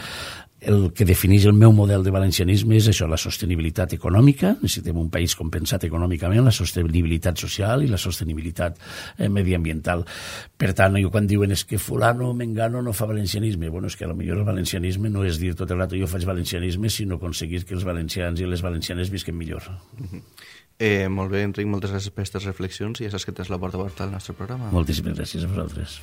el que defineix el meu model de valencianisme és això, la sostenibilitat econòmica. Necessitem un país compensat econòmicament, la sostenibilitat social i la sostenibilitat mediambiental. Per tant, quan diuen és que fulano, mengano no fa valencianisme, bueno, és que potser el valencianisme no és dir tot el rato jo faig valencianisme, sinó aconseguir que els valencians i les valencianes visquen millor. Molt bé, Enric, moltes gràcies per aquestes reflexions, i ja saps que tens la porta oberta al nostre programa. Moltíssimes gràcies a vosaltres.